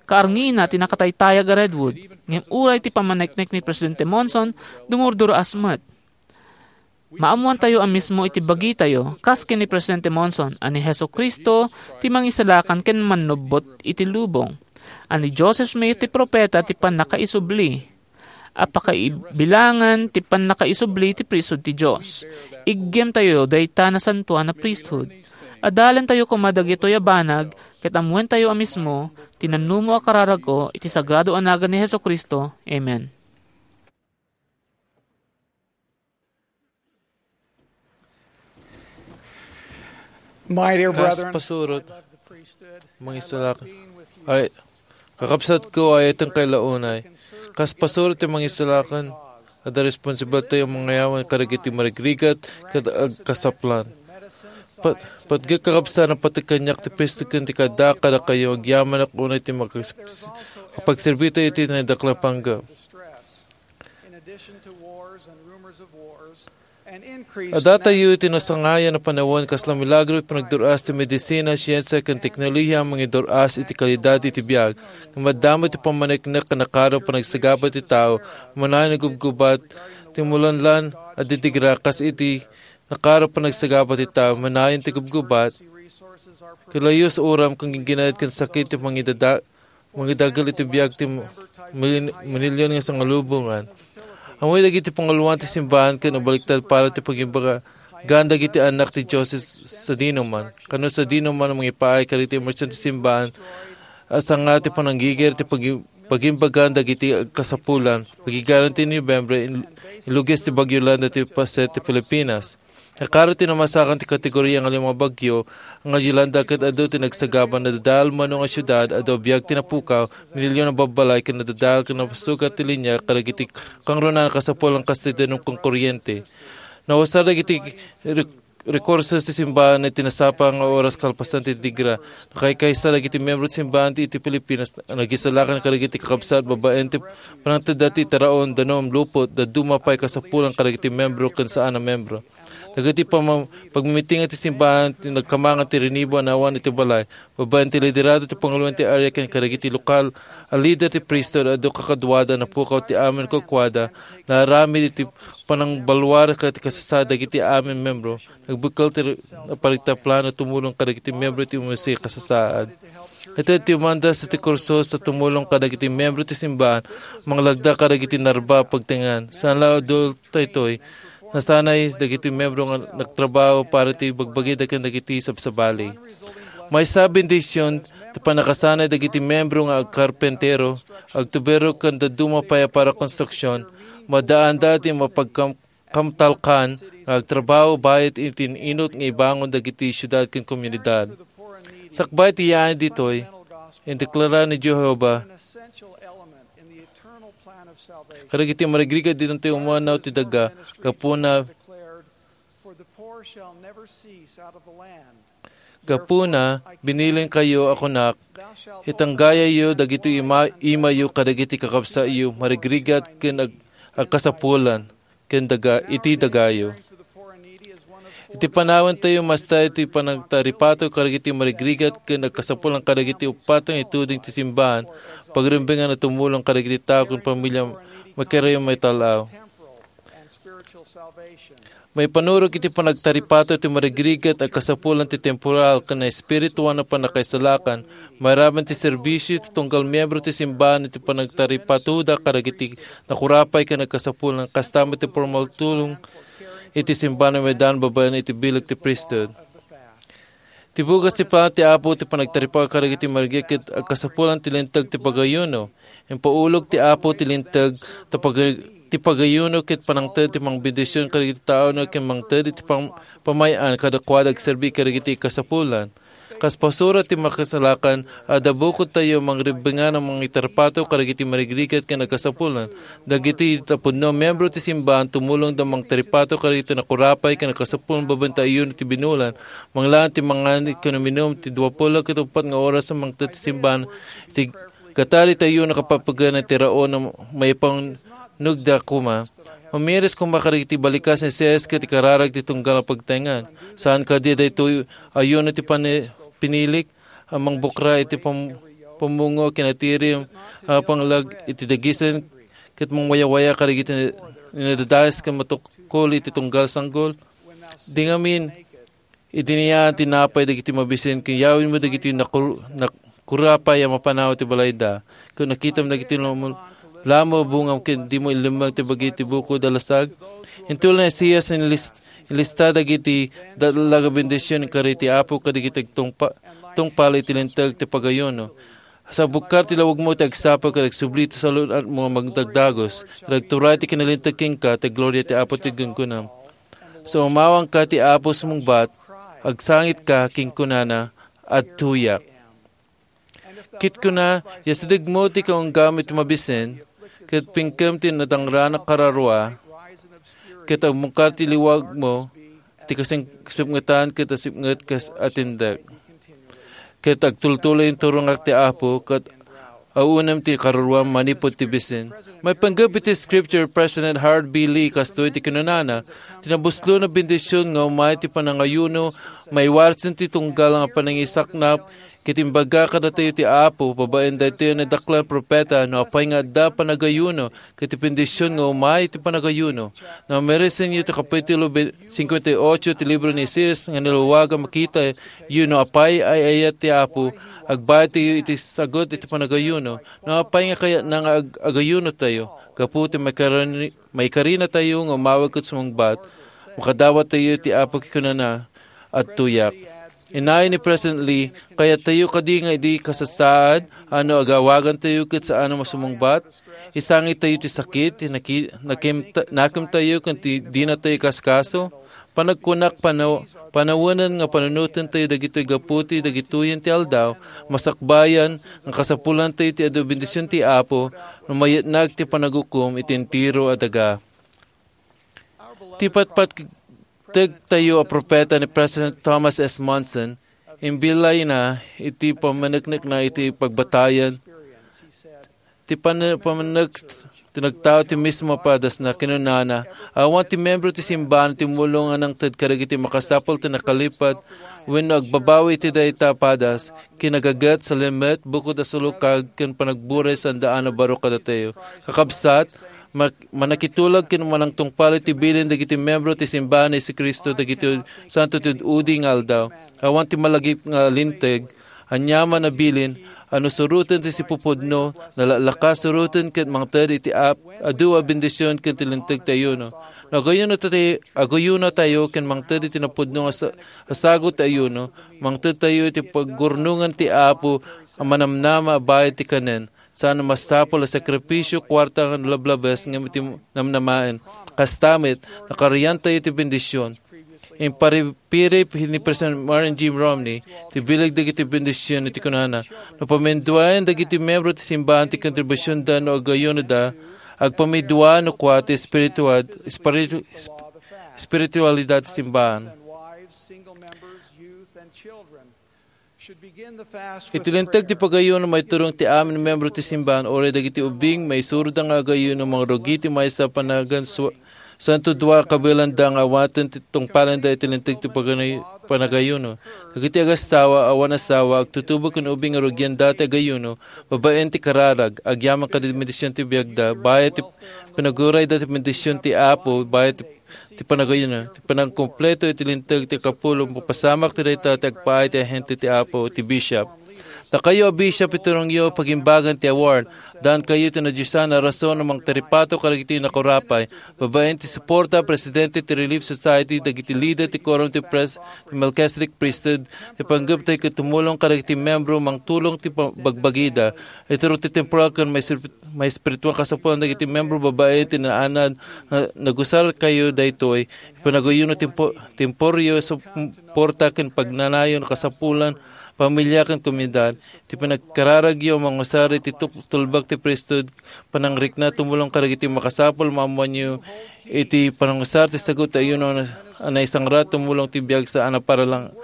Kaarngina ti nakataytayag a redwood, ngem uray ti pammaneknek ni Presidente Monson, dumurdur-as met. Maammoantayo a mismo iti bagitayo, kas ken ni Presidente Monson, a ni Jesu-Cristo ti Mangisalakan ken Mannubbot iti lubong, a ni Joseph Smith ti propeta ti pannakaisubli. A pakaibilangan ti pannakaisubli ti priesthood ti Dios. Iggemtayo dayta nasantoan a priesthood. Adalentayo koma dagitoy a banag, ket ammoentayo a mismo ti nannumo a kararagko iti sagrado a nagan ni Jesu-Cristo. Amen. My dear Kas brethren, pasurot, I love the priesthood. Mangisalakan. Ay, kakabsatko, ay itong kailaunay. Kas pasurot ti mangisalakan, adda responsibilitayo mangayawan kadagiti marigrigat ket agkasaplan. Pat-, patgek kakabsat, napateg kaniak ti priesthood ken ti kada kadakayo, agyamanak unay ti makas-, kapagserbitayo iti naidaklan panggep. Adatayo iti nasangayan a panawen, kasla milagro iti panagdur-as ti medisina, siensia, ken teknolohiya a mangidur-as iti kalidad iti biag. Ngem adda met ti pammaneknek a nakaro panagsagaba ti tao, manayon nagubgubat ti mulanlan a didigra kas iti nakaro panagsagaba ti tao, manayon ti gubgubat. Kalayo sa uram ken gingginayad ken sakit ti mangidada-, mangidagel iti biag ti mil-, minilyon nga sangalubongan. Ammok dagiti panguloan ti simbahan ken nabaliktad para ti pagimbagan dagiti annak ti Dios sadinoman. Kano sadinoman mangipaay kadagiti emersyente ti simbahan a sanga ti pananggigir ti pagi-, pagimbagan dagiti agkasapulan. Pagigaran ti Nobyembre, in-, inlugis ti Bagyo Yolanda ti paset ti Pilipinas. Nakaro ti namasakan ti kategoria nga lima bagyo nga Yolanda ket adu ti nagsagaba. Nadadael mano nga siudad, adu a biag ti napukaw, minilyon a babbalay ket nadadael ket napasugat ti linia kadagiti kangrunaan a kasapulan kas ti danum ken kuryente. Nausar dagiti rek-, rekursos ti simbahan iti nasapa nga oras kalpasan ti digra. Nakaykaysa dagiti membro ti simbahan ti iti Pilipinas a nagisalakan kadagiti kakabsat babaen ti panangtedda ti taraon, danum, lupot, dadduma pay kasapulan kadagiti membro ken saan a membro. Dagiti pamam-, pagmimiting ti simbahan ti nagkamangan ti rinibo a nawan iti balay, babaen ti liderado ti panguloan ti area ken kadagiti lokal a lider ti priesthood a adu kakaduada, napukaw ti amin kukuada, naaramid iti panangbalwar ket kasasaad dagiti amin membro. Nagbekkel ti re-, paritaplano tumulong kadagiti membro ti umisi kasasaad. Iti ti umanda sa ti kursos sa tumulong kadagiti membro ti simbahan, manglagda kadagiti narba a pagtengngan. Saan la adul daytoy, nasanay dagiti membro nga nagtrabaho para ti bagbagida ken dagiti sabsabali. Maysa a bendision ti pannakasanay dagiti membro nga agkarpentero, agtubero ken dadduma pay a para konstruksion, madaanda ti mapagkam-, kamtalkan nga agtrabaho bayat iti in-inut nga ibangon dagiti siudad ken komunidad. Sakbay ti yaay ditoy, indeklara ni Jehovah kadagiti marigrigat, didinto umanaw ti daga. Gapuna, gapuna, binilinkayo a kunak, itanggayayo dagiti ima-, imayo kadagiti kakabsatyo, marigrigat ken ag-, agkasapulan ken daga, iti dagayo. Iti panawentayo, masta iti panagtaripato kadagiti marigrigat ken agkasapulan kadagiti uppat nga ituding ti simbahan, pagrimbengan a tumulong kadagiti tao ken pamilya, makarayo maital-aw. Maipanurog iti panagtaripato ti marigrigat agkasapulan ti temporal ken espirituan a pannakaisalakan, mairaman ti serbisio ti tunggal miembro ti simbahan iti panagtaripatoda kadagiti nakurapay ken agkasapulan, kasta met ti formal tulong iti simbahan a maidaan babaen iti bileg ti priesthood. Ti bugas ti plan ti Apo ti panagtaripaw kadagiti marigrigat ket agkasapulan ti linteg ti pagayuno. Impaulog ti Apo ti linteg ti pag-, ti pagayuno ket panangted ti mangbendision kadagiti tao no ken mangted iti pam-, pamay-an kadakuada agserbi kadagiti kasapulan. Kas pasurot ti makasalakan, adda bukodtayo mangribengan a mangitaripato kadagiti marigrigat ken agkasapulan. Dagiti tapudno, miembro ti simbahan, tumulongda mangtaripato kadagiti nakurapay ken agkasapulan babaen ti ayuno ti binulan. Manglaan ti mangan ken uminum ti dua puluh ket uppat nga oras a mangted ti simbahan iti gatari ti ayuno, kapapagan ti raon a maipangnugda koma. Mamiris koma kadagiti balikas ni Sias ket ikararag ti tunggal a pagtaengan. Saan kadi daytoy ayuno ti pani-, pinilik a mangbukra iti pam-, pammungo ken atirim a panglag iti dagisen ket mangwayawaya kadagiti nadadayes ken matukol iti tunggal sanggol? Di ngamin, idinayaan ti napay dagiti mabisin ken yawenmo dagiti nakur-, nakurapay a mapanaw ti balayda. Ken nakitam dagiti lamo-, lamo bungam ken dimo ilemmeng ti bagi ti bukod a lasag. Intola ni Sias inlis-, inlista dagiti datlag a bendision inkari ti Apo kadagiti agtungpa-, tungpal iti linteg ti pagayuno. Sa bukkar ti lawagmo ti agsapa ket agsubli ti salun-atmo a magdagdagos, ket agturay ti kinalinteg kenka ti gloria ti Apo ti gunggunam. Sa umawanka ti Apo sumungbat, agsangitka ken kunana, "Adtoyak." Ket kuna, "Yasidegmo ti kaunggam iti mabisin, ket pingkem ti nadangrana kararua, ket agbungkar ti liwagmo, ti kasing-, kasipngetan ket asipnget kas atindek." Ket agtultuloy inturongak ti Apo, ket aunem ti karuruam manipud ti bisin. Maipanggep iti Scripture, President Harold B. Lee kastoy ti kinunana, "Ti nabuslo a bendision nga umay ti panangayuno, maiwarsen ti tunggal nga panangisaknap, ket imbaga kadatayo ti Apo, babaen daytoy a nadaklan propeta, no apay nga adda panagayuno, ket ti bendision nga umay ti panagayuno." No mairissenyo ti Kapitulo be-, cincuenta y ocho ti libro ni Sis nga nalluag a makitayo no apay ay-ayat ti Apo, agbayadtayo iti sagut iti panagayuno. No apay nga kayatna nga ag-, agayunotayo, gapu ti maikarin-, maikarinatayo nga umawag ket sumungbat, makadawattayo iti Apo ket kunana, "Adtoyak." Innayon ni President Lee, "Kayattayo kadi nga idi kasasaad, a no agawagantayo ket saan a masumungbat? Isangitayo ti sakit, ti naki-, nakim-, nakemtayo ken ti dinatayo ikaskaso?" Panagkunak, panaw-, panawenen nga panunotentayo dagitoy gapu ti dagitoyen ti aldaw, masakbayan nga kasapulantayo ti adu bendision ti Apo no mayatnag ti panagukom iti entero a daga. Ti patpategtayo a propeta ni President Thomas S. Monson, imbilayna iti pammaneknekna iti pagbatayan ti pan-, pammanek ti nagtao ti mismo a padasna. Kinunana, "Awan ti membro ti simbahan ti mulong a nangted kadagiti makasapul ti nakalipad wenno agbabawi iti dayta a padas, kinagaget, salimet, bukod a sulukag, ken panagburay saan a baro kadatayo." Kakabsat, ma-, manakitulag ken manangtungpal iti bilin dagiti membro ti simbahan ni Jesu-Cristo dagiti santo ti ud-udi nga aldaw. Awan ti malagip nga linteg, aniaman a bilin, a no suroten ti sipupudno, nalaklaka suroten ket mangted iti ap-, adu a bendision ken ti linteg ti ayuno. No agayuno tayo, agayuno tayo ken mangted iti napudno nga sa-, a sagut ti ayuno, mangted tayo iti paggurnongan ti Apo a manamnama a bayad ti kanen. saan a masapul a sakripisio, kuarta nga nalablabes ngem iti namnamaen. Kasta met, nakariantayo iti bendision. Imparipirip ni President Marion Jim Romney ti bileg dagiti bendision iti kunana, no pamiduaen dagiti membro ti simbahan ti kontribusionda no agayunoda, agpamidua no kua ti espiritual, espiritu-, esp-, espiritualidad ti simbahan. Iti linteg ti pagayuno, maiturong ti amin membro ti simbahan, uray dagiti ubing, maisuroda nga agayuno, mangrugi ti maysa a panagan, su-, santo dua kabielanda nga awaten ti tungpalenda iti linteg ti pagana-, panagayuno. Dagiti agasawa, awan asawa, agtutubo ken ubing nga rugianda ti agayuno, babaen ti kararag, agyaman kadagiti bendision ti biagda, bayat ti panagurayda ti bendision ti Apo, bayat ti ti panagayuno, ti panangkumpleto iti linteg ti kapulo, mapasamak ti dayta ti agpaay ti ahente ti Apo, ti bishop. Dakayo a bishop, iturongyo pagimbagan ti award. Daan kayo ti nadiosan a rason a mangtaripato kadagiti nakurapay. Babaen ti suporta, presidente ti Relief Society, dagiti leader ti Quorum ti Pres-, ti Melchizedek Priesthood, ti panggeptay ket tumulong kadagiti membro mangtulong ti pa-, bagbagida. Ituro ti temporal ken may sir-, may espiritual kasapulan dagiti membro babaen ti naanad nga nagusar kayo daytoy. Panagayuno tempo-, temporyo, suporta ken pagnanayon a kasapulan, pamilya ken komunidad. Ti panagkararagyo a mangusar iti tup-, tulbak ti priesthood, panangrikna tumulong kadagiti makasapul, maammoanyo iti panangusar ti sagut ti ayuno a naisangrat tumulong ti biag saan a paralang-,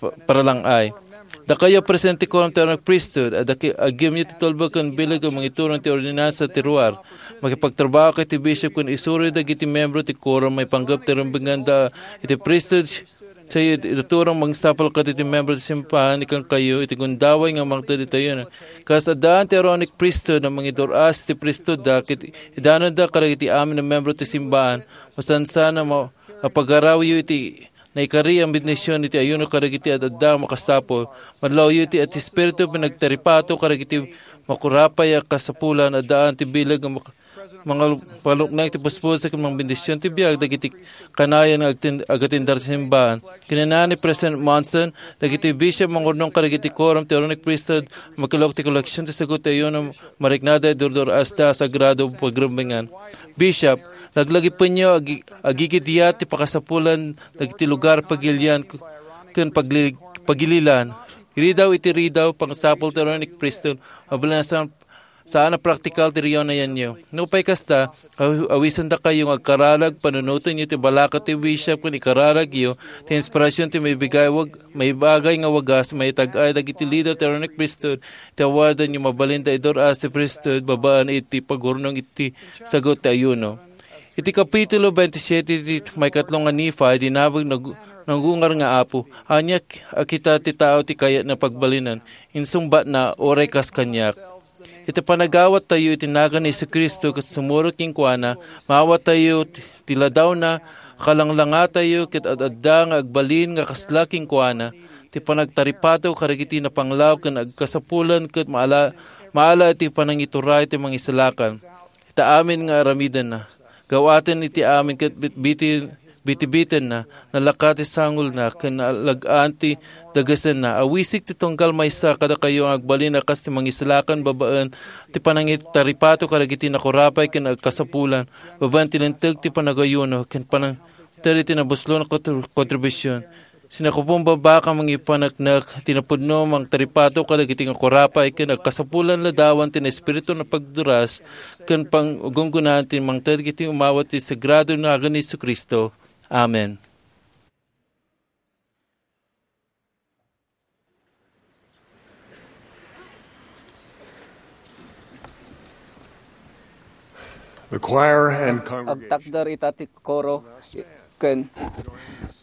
pa-, paralang-ay. Dakayo a presidente ti Quorum ti Aaronic Priesthood, adda ki-, agyemyo ti tulbek ken bileg a mangiturong ti ordinansa ti ruar. Makipagtrabaho kayo ti bishop ken isuro dagiti membro ti quorum maipanggep ti rumbenganda iti priesthood. Sayo iti turong mangsapul kadagiti membro ti simbahan, ikan kayo iti gundaway nga mangted iti ayuno. Kas addaan ti Aaronic Priesthood a mangidur-as ti priesthoodda, ket idanonda kadagiti amin a membro ti simbahan. Masansan a ma-, mapagarawyo iti naikari a bendision iti ayuno kadagiti ad-adda a makasapul. Madlawyo iti, iti Espiritu, pinagtaripato kadagiti makurapay a kasapulan, addaan ti bileg nga mak-, mangal-, paluknay ti puspuso ken mangbendision ti biag dagiti kanayon nga agtin-, agatindar ti simbahan. Kinuna ni President Monson, dagiti bishop mangurnong kadagiti quorum ti Aaronic Priesthood, makilok ti koleksion ti sagut ti ayuno, mariknada, idur-dur-asta a sagrado pagrumbengan. Bishop, laglagipenyo, agi-, agigidyat ti pakasapulan dagiti lugar pagilian k-, ken pagli-, pagililan. Ridaw iti ridaw, pangsapul ti Aaronic Priesthood, mabalin a saan, saan a praktikal ti ridaw nayanyo. Nupay kasta, aw-, awisendakayo nga agkararag, panunotenyo ti balaka ti bishop ken ikararagyo ti inspirasion ti maibigay wag-, maibagay nga wagas, maitag-ay dagiti leader ti Aaronic Priesthood, ti awardanyo mabalin da idur-as ti priesthood babaen iti pagurnong iti sagut ti ayuno. Iti Kapitulo twenty-siete ti maikatlo nga Nephi, dinamag nag-, nangungar nga Apo, ania a kita ti tao ti kayatna pagbalinan, insungbatna, uray kas kaniak. Iti panagawattayo iti nagan ni Jesu-Cristo ket sumurot kenkuana, maawattayo ti, ti ladawna, kalanglangatayo ket ad-adda nga agbalin nga kasla kenkuana, ti panagtaripato kadagiti napanglaw ken agkasapulan ket maala, maala iti panangituray ti mangisalakan. Ita amin nga aramidenna. Gawaten iti amin ket bitbiti-, bitibitenna, nalaka ti sangulna, ken nalagaan ti dagesenna. Awisik ti tunggal maysa kadakayo nga agbalin a kas ti mangisalakan babaen ti panangitaripato kadagiti nakurapay ken agkasapulan, babaen ti linteg ti panagayuno, ken panang-, ted iti nabuslo nga kontr-, kontribusion. Sinakupumbaba ken mangipaneknek ti napudno mangtaripato kadagiti nga kurapay ken agkasapulan ladawan ti Espiritu a pagduras ken panggunggonan ti mangted iti umawat ti sagrado nagan ni Jesu-Cristo. Amen. The choir and congregation. Agtakder ita ti koro ken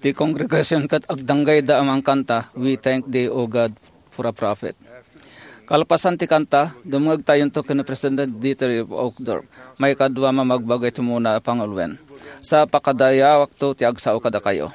ti congregation ket agdanggayda a mangkanta, "We Thank Thee, O God," for a prophet. Kalpasan ti kanta, dumngegtayonto ken President Dieter F. Uchtdorf, maikadua a mamagbaga iti umuna a panguloen. Sa pakadayawakto ti agsao kadakayo.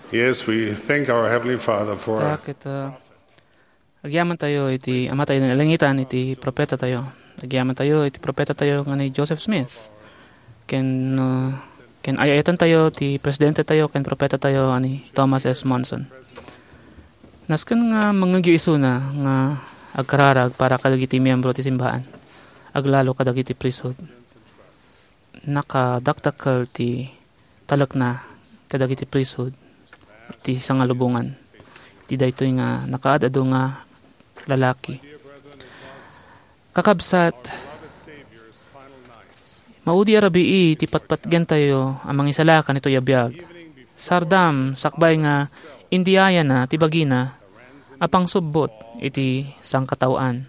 Yes, we thank our Heavenly Father for Ta ket, uh, agyamantayo iti Amatayo a nailangitan iti propetatayo. Agyamantayo iti propetatayo nga ni Joseph Smith. Ken, uh, ken ay-ayatantayo ti presidentetayo ken propetatayo a ni Thomas S. Monson. Nasken nga mangngegyo isuna nga agkararag para kadagiti miyembro ti simbahan, aglalo kadagiti priesthood. Nakadakdakkel ti talekna kadagiti priesthood ti sangalubongan ti daytoy nga nakaad-adu nga lalaki. Kakabsat, maudi a rabii ti patpatgentayo a mangisalakan itoy a biag. Sardam, sakbay nga indiyayana ti bagina a pangsubbot iti sangkataoan.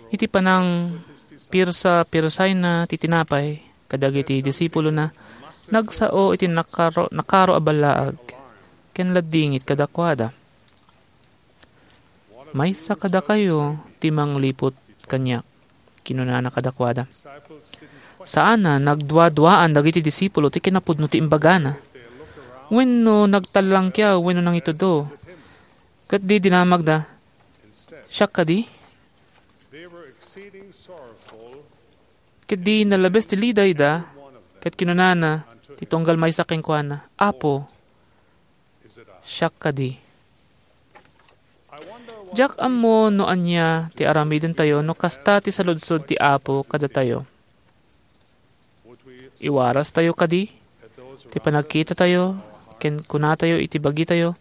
Iti panangpirsa-pirsayna ti tinapay kadagiti disipulona, nagsao iti nakaro-, nakaro a ballaag ken laddingit kadakuada. "Maysa kadakayo ti mangliput kaniak," kinunana kadakuada. Saanna, nagduaduaan dagiti disipulo ti kinapudno ti imbagana. Wenno nagtallangkiaw wenno nangitudo. Ket di dinamagda, "Siak kadi?" Ket di nalabes ti lidayda, ket kinunana ti tunggal maysa kenkuana, "Apo, siak kadi?" Diak ammo no ania ti aramidentayo no kasta ti saludsod ti Apo kadatayo. Iwarastayo kadi ti panagkitatayo ken kunatayo iti bagitayo,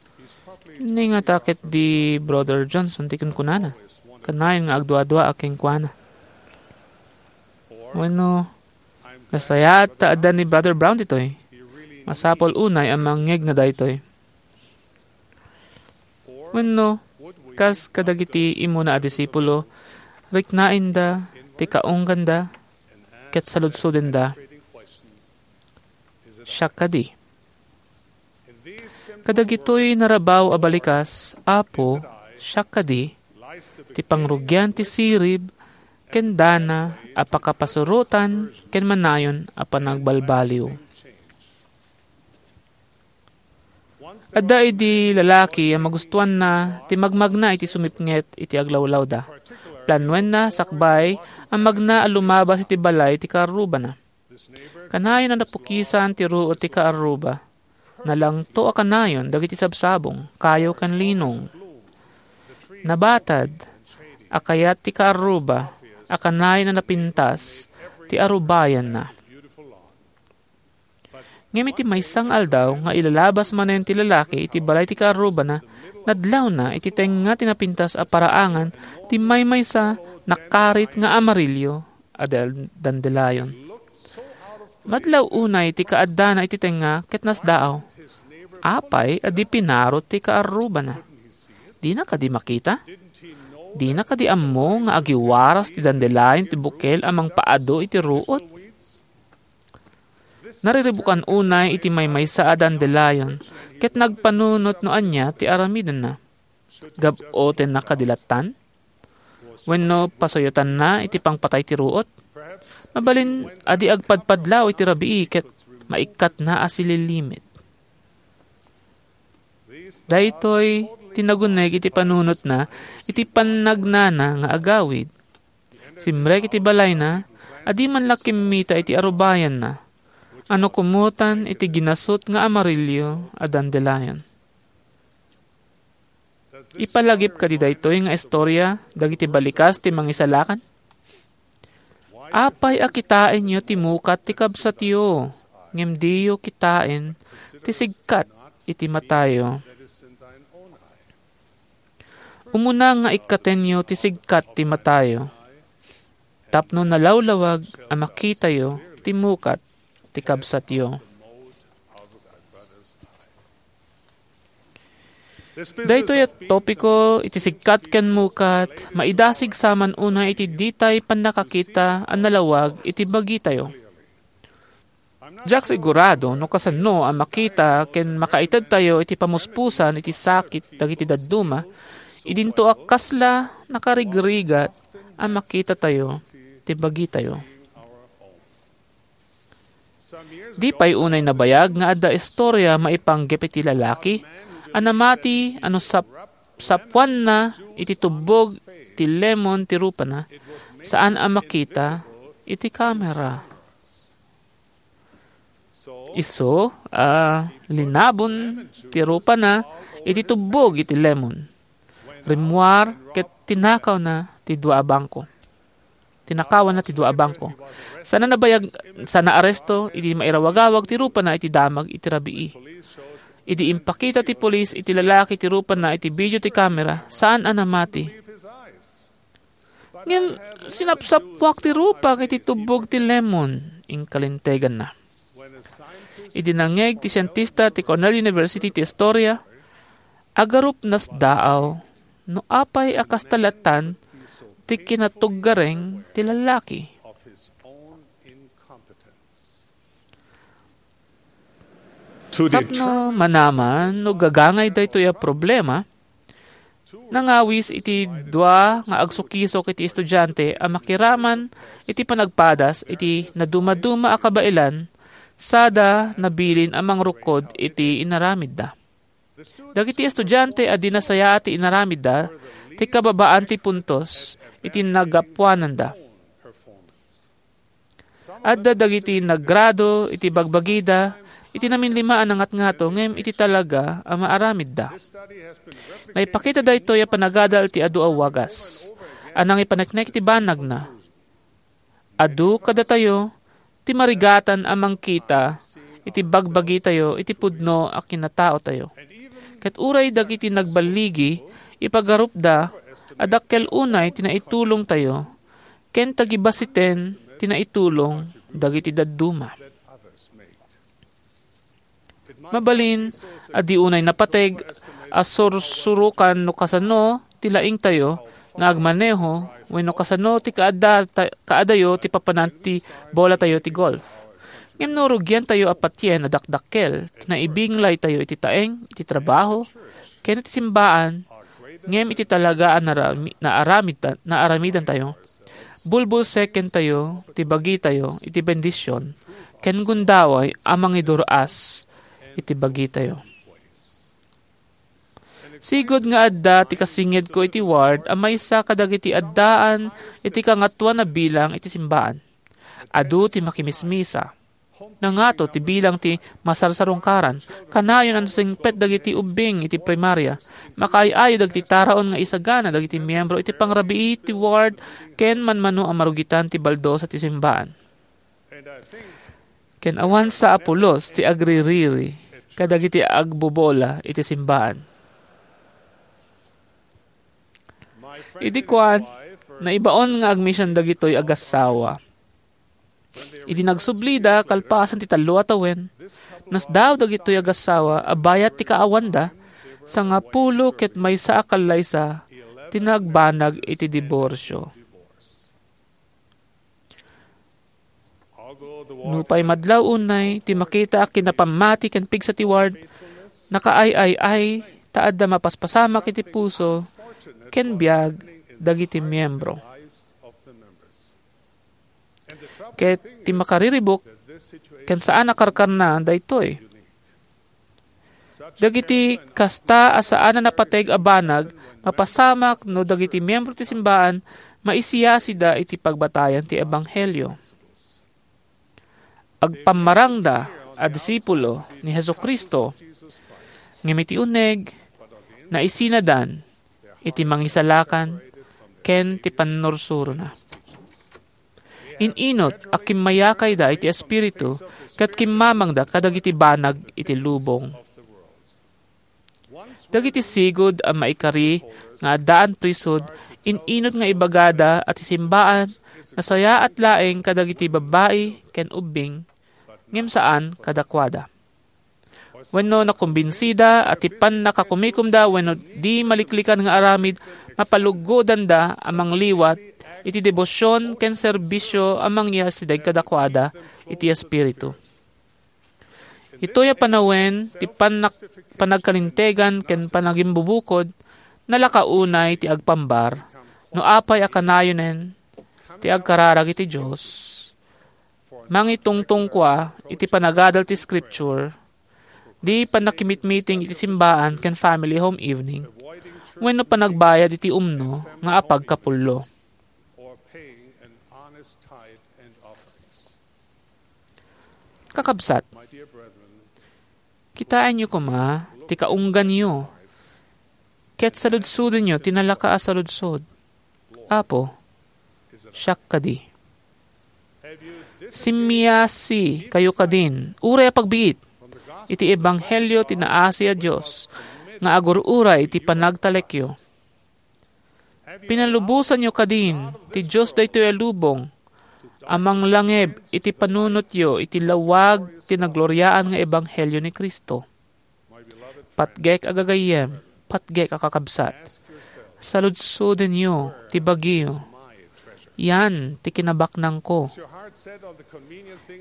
"Ni ngata ket di Brother Johnson ti kunkunana. Kanayon nga agduaduaak kenkuana." Wenno, "Nasayaat ta adda ni Brother Brown ditoy. Masapul unay a mangngegna daytoy." Wenno, kas kadagiti immuna a disipulo, riknaenda ti kaungganda ket saludsodenda, "Siak kadi?" Kadagitoy narabaw a balikas, "Apo, siak kadi?" ti pangrugian ti sirib ken dana a pakapasurotan ken manayon a panagbalbaliw. Adda idi lalaki a magustuanna ti magmagna iti sumipnget iti aglawlawda. Planuenna sakbay a magna a lumabas iti balay ti kaarrubana. Kanayon a napukisan ti ruot ti kaarruba. Nalangto a kanayon dagiti sabsabong, kayo ken linong. Nabatad a kayat ti kaarruba a kanayon a napintas ti arubayanna. Ngem iti maysa nga aldaw nga ilalabas manen ti lalaki iti balay ti kaarrubana, nadlawna iti tengnga ti napintas a paraangan ti maymaysa nakarit nga amarillo a dal-, dandelion. Madlaw unay ti kaaddana iti tengnga ket nasdaaw. Apay a di pinarot ti kaarrubana? Dina kadi makita? Dina kadi ammo nga agiwaras ti dandelion ti bukel a mangpaadu iti ruot? Nariribukan unay iti maymaysa a dandelion ket nagpanunot no ania ti aramidenna. Gab-otenna kadi lattan? Wenno pasuyotanna iti pangpatay ti ruot? Mabalin a di agpadpadlaw iti rabii ket maikkatna a sililimit. Daytoy ti naguneg iti panunotna iti pannagnana nga agawid. Simrek iti balayna a di man la kimmita iti arubayanna, a nakumotan iti ginasut nga amarillo a dandelion. Ipalagip kadi daytoy nga istorya dagiti balikas ti mangisalakan? Apay a kitaenyo ti mukat ti kabsatyo, ngem diyo kitaen ti sigkat iti matayo? Umuna nga ikkatenyo ti sigkat ti matayo, tapno nalawlawag a makitayo ti mukat ti kabsatyo. Daytoy a topiko iti sigkat ken mukat, maidasig saman unay iti ditay pannakakita a nalawag iti bagitayo. Diak sigurado no kasano a makita ken makaitedtayo iti pamuspusan iti sakit dagiti dadduma, idinto a kasla nakarigrigat a makitatayo ti bagitayo. Di pay unay nabayag nga adda istorya maipanggep iti lalaki a namati a no sap-, sapuanna iti tubbog ti lemon ti rupana, saan a makita iti kamera. Isu a linabon ti rupana iti tubbog iti lemon. Rimmuar ket tinakawna ti dua a bangko. Tinakawanna ti dua a bangko. Sana nabayag, sana aresto idi mairawagawag ti rupana iti damag iti rabii. Idi impakita ti pulis iti lalaki ti rupana iti video ti kamera, saan a namati. Ngem sinapsappuak ti rupak iti tubbog ti lemon, inkalinteganna. Idi nangngeg ti sientista ti Cornell University ti istorya, agarupnas daaw no apay a kasta latan ti kinatuggareng ti lalaki. Tapno manaman no gagangay daytoy a problema, nangawis iti dua nga agsukisok iti estudiante a makiraman iti panagpadas iti nadumaduma a kabaelan sada nabilin a mangrukod iti inaramidda. Dagiti estudiante a di nasayaat ti inaramidda ti kababaan ti puntos iti nagapuananda. Adda dagiti naggrado iti bagbagida iti naminlima a nangatngato ngem iti talaga a maaramidda. Naipakita daytoy a panagadal ti adu a wagas a nangipaneknek iti banagna. Adu kadatayo ti marigatan a mangkita iti bagbagitayo iti pudno a kinataotayo. Ket uray dagiti nagballigi, ipagarupda a dakkel unay ti naitulongtayo ken tagibasiten ti naitulong dagiti dadduma. Mabalin a di unay napateg a sursurokan no kasano ti laingtayo nga agmaneho wenno kasano ti kaadda-, ta-, kaadayo ti papanan ti bolatayo ti golf. Ngem no rugiantayo a patien a dakdakkel ti naibinglaytayo iti taeng, iti trabaho, ken iti simbaan, ngem iti talaga a narami-, naaramid-, naaramidantayo, bulbulsekentayo ti bagitayo iti bendision ken gundaway a mangidur-as iti bagitayo. Sigud nga adda ti kasingedko iti ward a maysa kadagiti addaan iti kangatoan a bilang iti simbaan. Adu ti makimismisa. Nangato ti bilang ti masarsarungkaran. Kanayon a nasingpet dagiti ubbing iti primaria. Makaay-ayo dagiti taraon nga isagana dagiti miyembro iti pangrabii ti ward ken manmano a marugitan ti baldosa ti simbaan. Ken awan sa a pulos ti agririri kadagiti agbobola iti simbaan. Idi kuan, naibaon nga agmision dagitoy agassawa. Idi nagsublida kalpasan ti tallo a tawen, nasdaaw dagitoy agassawa a bayat ti kaawanda, sangapulo ket maysa a kallaysa ti nagbanag iti diborsio. Nupay madlaw unay ti makita a kinapammati ken pigsa ti ward, nakaay-ay-ay ta adda mapaspasamak iti puso ken biag dagiti miyembro. Ket ti makariribuk ken saan a karkarna daytoy. Dagiti kasta a saan a napateg a banag mapasamak no dagiti miyembro ti simbaan maisiyasida iti pagbatayan ti ebanghelio. Agpammarangda a disipulo ni Jesu-Cristo, ngem iti uneg, naisinadan iti mangisalakan ken ti pannursurona. In-inut a kimmayakayda iti Espiritu ket kimmamangda kadagiti banag iti lubong. Dagiti sigud a maikari nga addaan priesthood, in-inut nga ibagada a ti simbaan nasayaat laeng kadagiti babbai ken ubbing, ngem saan kadakuada. Wenno nakumbinsida a ti pannakakumikomda wenno di maliklikan nga aramid mapaluggodanda a mangliwat iti debosion ken serbisio a mangyasdeg kadakuada iti Espiritu. Itoy a panawen ti pannak-, panagkalintegan ken panagimbubukod, nalaka unay ti agpambar no apay a kanayonen ti agkararag iti Dios. Mangitungtungkua iti panagadal ti Scripture, di pannakimitmiting iti simbaan ken family home evening, wenno panagbayad iti umno nga apagkapullo. Kakabsat, kitaenyo koma ti kaungganyo ket saludsodenyo ti nalaka a saludsod. Apo, siak kadi. Simmiasi kayo kadin, uray a pagbiit, iti ebanghelio ti naasi a Dios nga agur-uray iti panagtalekyo. Pinalubosanyo kadin ti Dios daytoy a lubong a manglangeb iti panunotyo iti lawag ti nagloriaan nga ebanghelio ni Cristo. Patgek a gagayyem, patgek a kakabsat, saludsodenyo ti bagio. Yan ti kinabaknangko.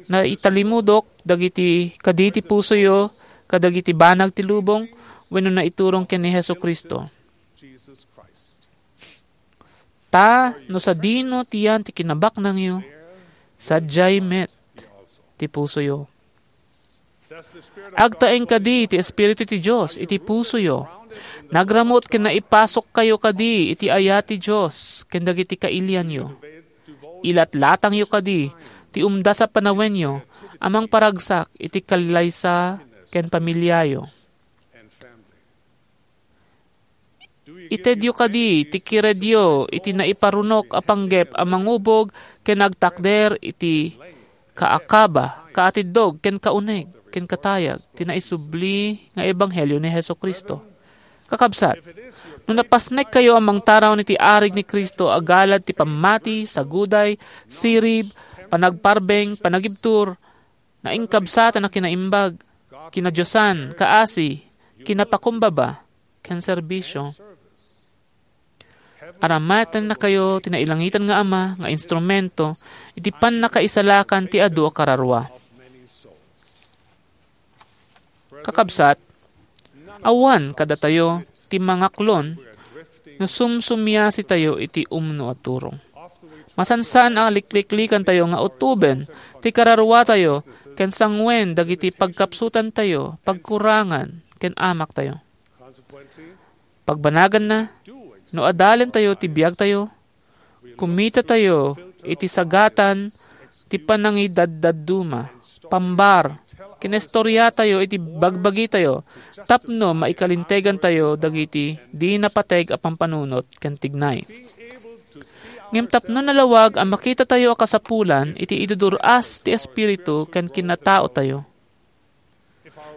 Naitalimudok dagiti kadi ti pusoyo kadagiti banag ti lubong wenno naiturong ken ni Jesu-Cristo? Ta no sadino ti yan ti kinabaknangyo, sadiay met ti pusoyo. Agtaeng kadi ti Espiritu ti Dios iti pusoyo. Nagramut ken naipasokkayo kadi iti ayat ti Dios ken dagiti kailianyo. Ilatlatangyo kadi ti umdas a panawenyo a mangparagsak iti kallaysa ken pamiliayo. Itedyo kadi ti kiredyo iti naiparunok a panggep a mangubog ken agtakder iti kaakaba, kaatiddog, ken kauneg, ken katayag ti naisubli nga ebanghelio ni Jesu-Cristo. Kakabsat, no napasnekkayo a mangtaraon iti arig ni Cristo a galad ti pammati, saguday, sirib, panagparbeng, panagibtur, nainkabsatan a kinaimbag, kinadiosan, kaasi, kinapakumbaba, ken serbisio. Aramatennakayo ti nailangitan nga Ama nga instrumento iti pannakaisalakan ti adu a kararua. Kakabsat, awan kadatayo ti mangaklon no sumsumiasitayo iti umno a turong. Masansan a likliklikantayo nga utoben ti kararuatayo ken sanguen dagiti pagkapsutantayo, pagkurangan, ken amaktayo. Pagbanaganna, no adalentayo ti biagtayo, kumitatayo iti sagatan ti panangidadduma, pambar, kinestoriatayo iti bagbagitayo tapno maikalintegantayo dagiti di napateg a pampanunot ken tignay. Ngem tapno nalawag a makitatayo a kasapulan iti idudur-as ti Espiritu ken kinataotayo.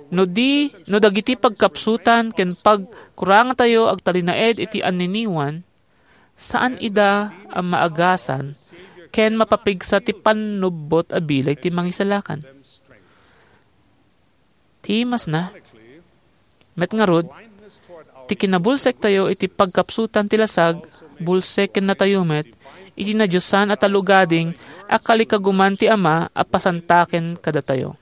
No di, no dagiti pagkapsutan ken pagkurangatayo agtalinaed iti anniniwan, saan ida a maagasan ken mapapigsa ti pannubbot a bileg ti Mangisalakan. Ti masna, met ngarud, ti kinabulsektayo iti pagkapsutan ti lasag, bulsekennatayo met iti nadiosan a talugading a kalikaguman ti Ama a pasantaken kadatayo.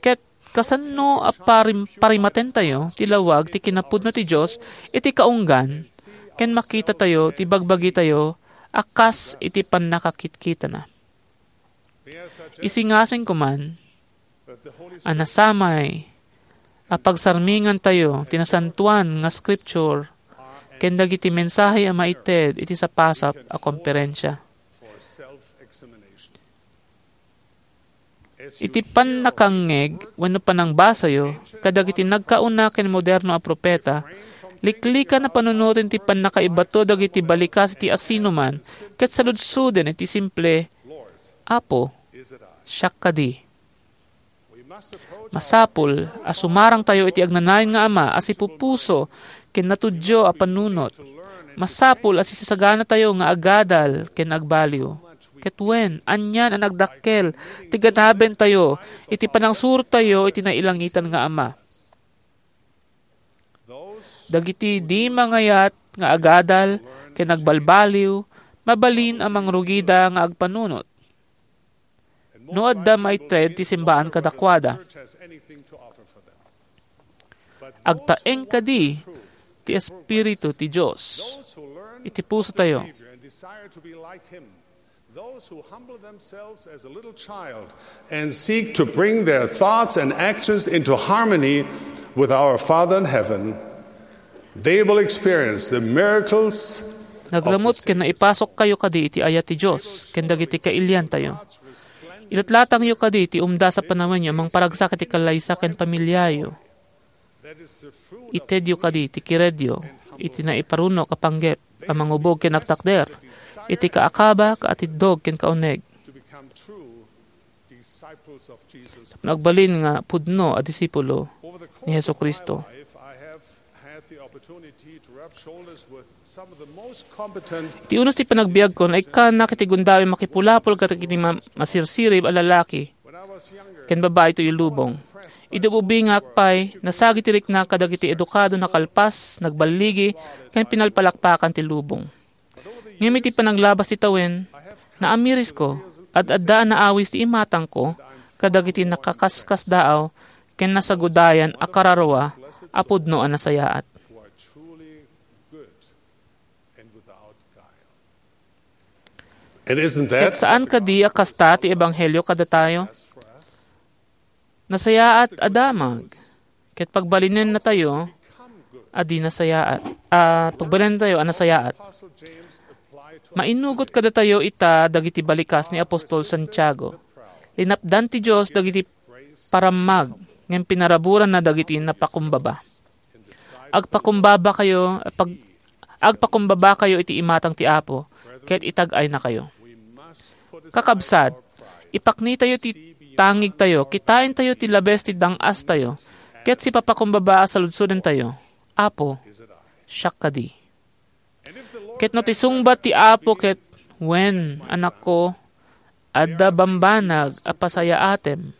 Ket kasano a parim-, parimatentayo ti lawag ti kinapudno ti Dios iti kaunggan ken makitatayo ti bagbagitayo a kas iti pannakakitkitana? Isingasingko man a nasamay a pagsarmingantayo ti nasantoan nga Scripture ken dagiti mensahe a maited iti sapasap a komperensia. Iti pannakangngeg wenno panangbasayo kadagiti nagkauna ken moderno a propeta, liklikan a panunoten ti pannakaibato dagiti balikas iti asinoman ket saludsoden iti simple, "Apo, siak kadi." Masapul a sumarangtayo iti agnanayon nga Ama a sipupuso ken natudyo a panunot. Masapul a sisasaganatayo nga agadal ken agbaliw. Ket wen, anian a nagdakkel ti ganabentayo iti panangsurtayo iti nailangitan nga Ama. Dagiti di mangayat nga agadal ken agbalbaliw, mabalin a mangrugida nga agpanunot no adda maited ti simbaan kadakuada. Agtaeng kadi ti Espiritu ti Dios iti pusotayo. Those who humble themselves as a little child and seek to bring their thoughts and actions into harmony with our Father in heaven, they will experience the miracles of the Nagramut ken naipasok kayo kadi iti ayat ti Dios ken dagiti kailiantayo. Ilatlatangyo kadi ti umdas a panawenyo a mangparagsak iti kallaysa ken pamiliayo. Itedyo kadi ti kiredyo iti naiparunok a panggep a mangubog ken agtakder iti kaakaba ket atiddog ken kauneg. Nagbalin nga pudno a disipulo ni Jesu-Cristo. Iti unos ti panagbiagko, naikkannak iti gundaway makipulapol kadagiti ma-, masirsirib a lalaki ken babai toy lubong. Idi ubingak pay, nasagi ti rikna kadagiti edukado, nakalpas, nagballigi, ken pinalpalakpakan ti lubong. Ngem iti panaglabas ti tawen, naamirisko, ad-adda a naawis ti imatangko kadagiti nakaskasdaaw ken nasagudayan a kararua a pudno a nasayaat. It isn't Ket that saan kadi a kasta ti ebanghelio kadatayo? Nasayaat a damag, ket pagbalinennatayo a di nasayaat, a pagbalinennatayo a nasayaat. Mainnugot kadatayo ita dagiti balikas ni apostol Santiago. Linapdan ti Dios dagiti parammag, ngem pinaraburanna dagiti napakumbaba. Agpakumbabakayo, pag-, agpakumbabakayo iti imatang ti Apo, ket itag-aynakayo. Kakabsat, ipaknitayo ti tangigtayo, kitaentayo ti labes ti dang-astayo, ket sipapakumbaba a saludsodentayo, Apo, siak kadi? Ket no ti sungbat ti Apo ket, "Wen, anakko, adda bambanag a pasayaatem,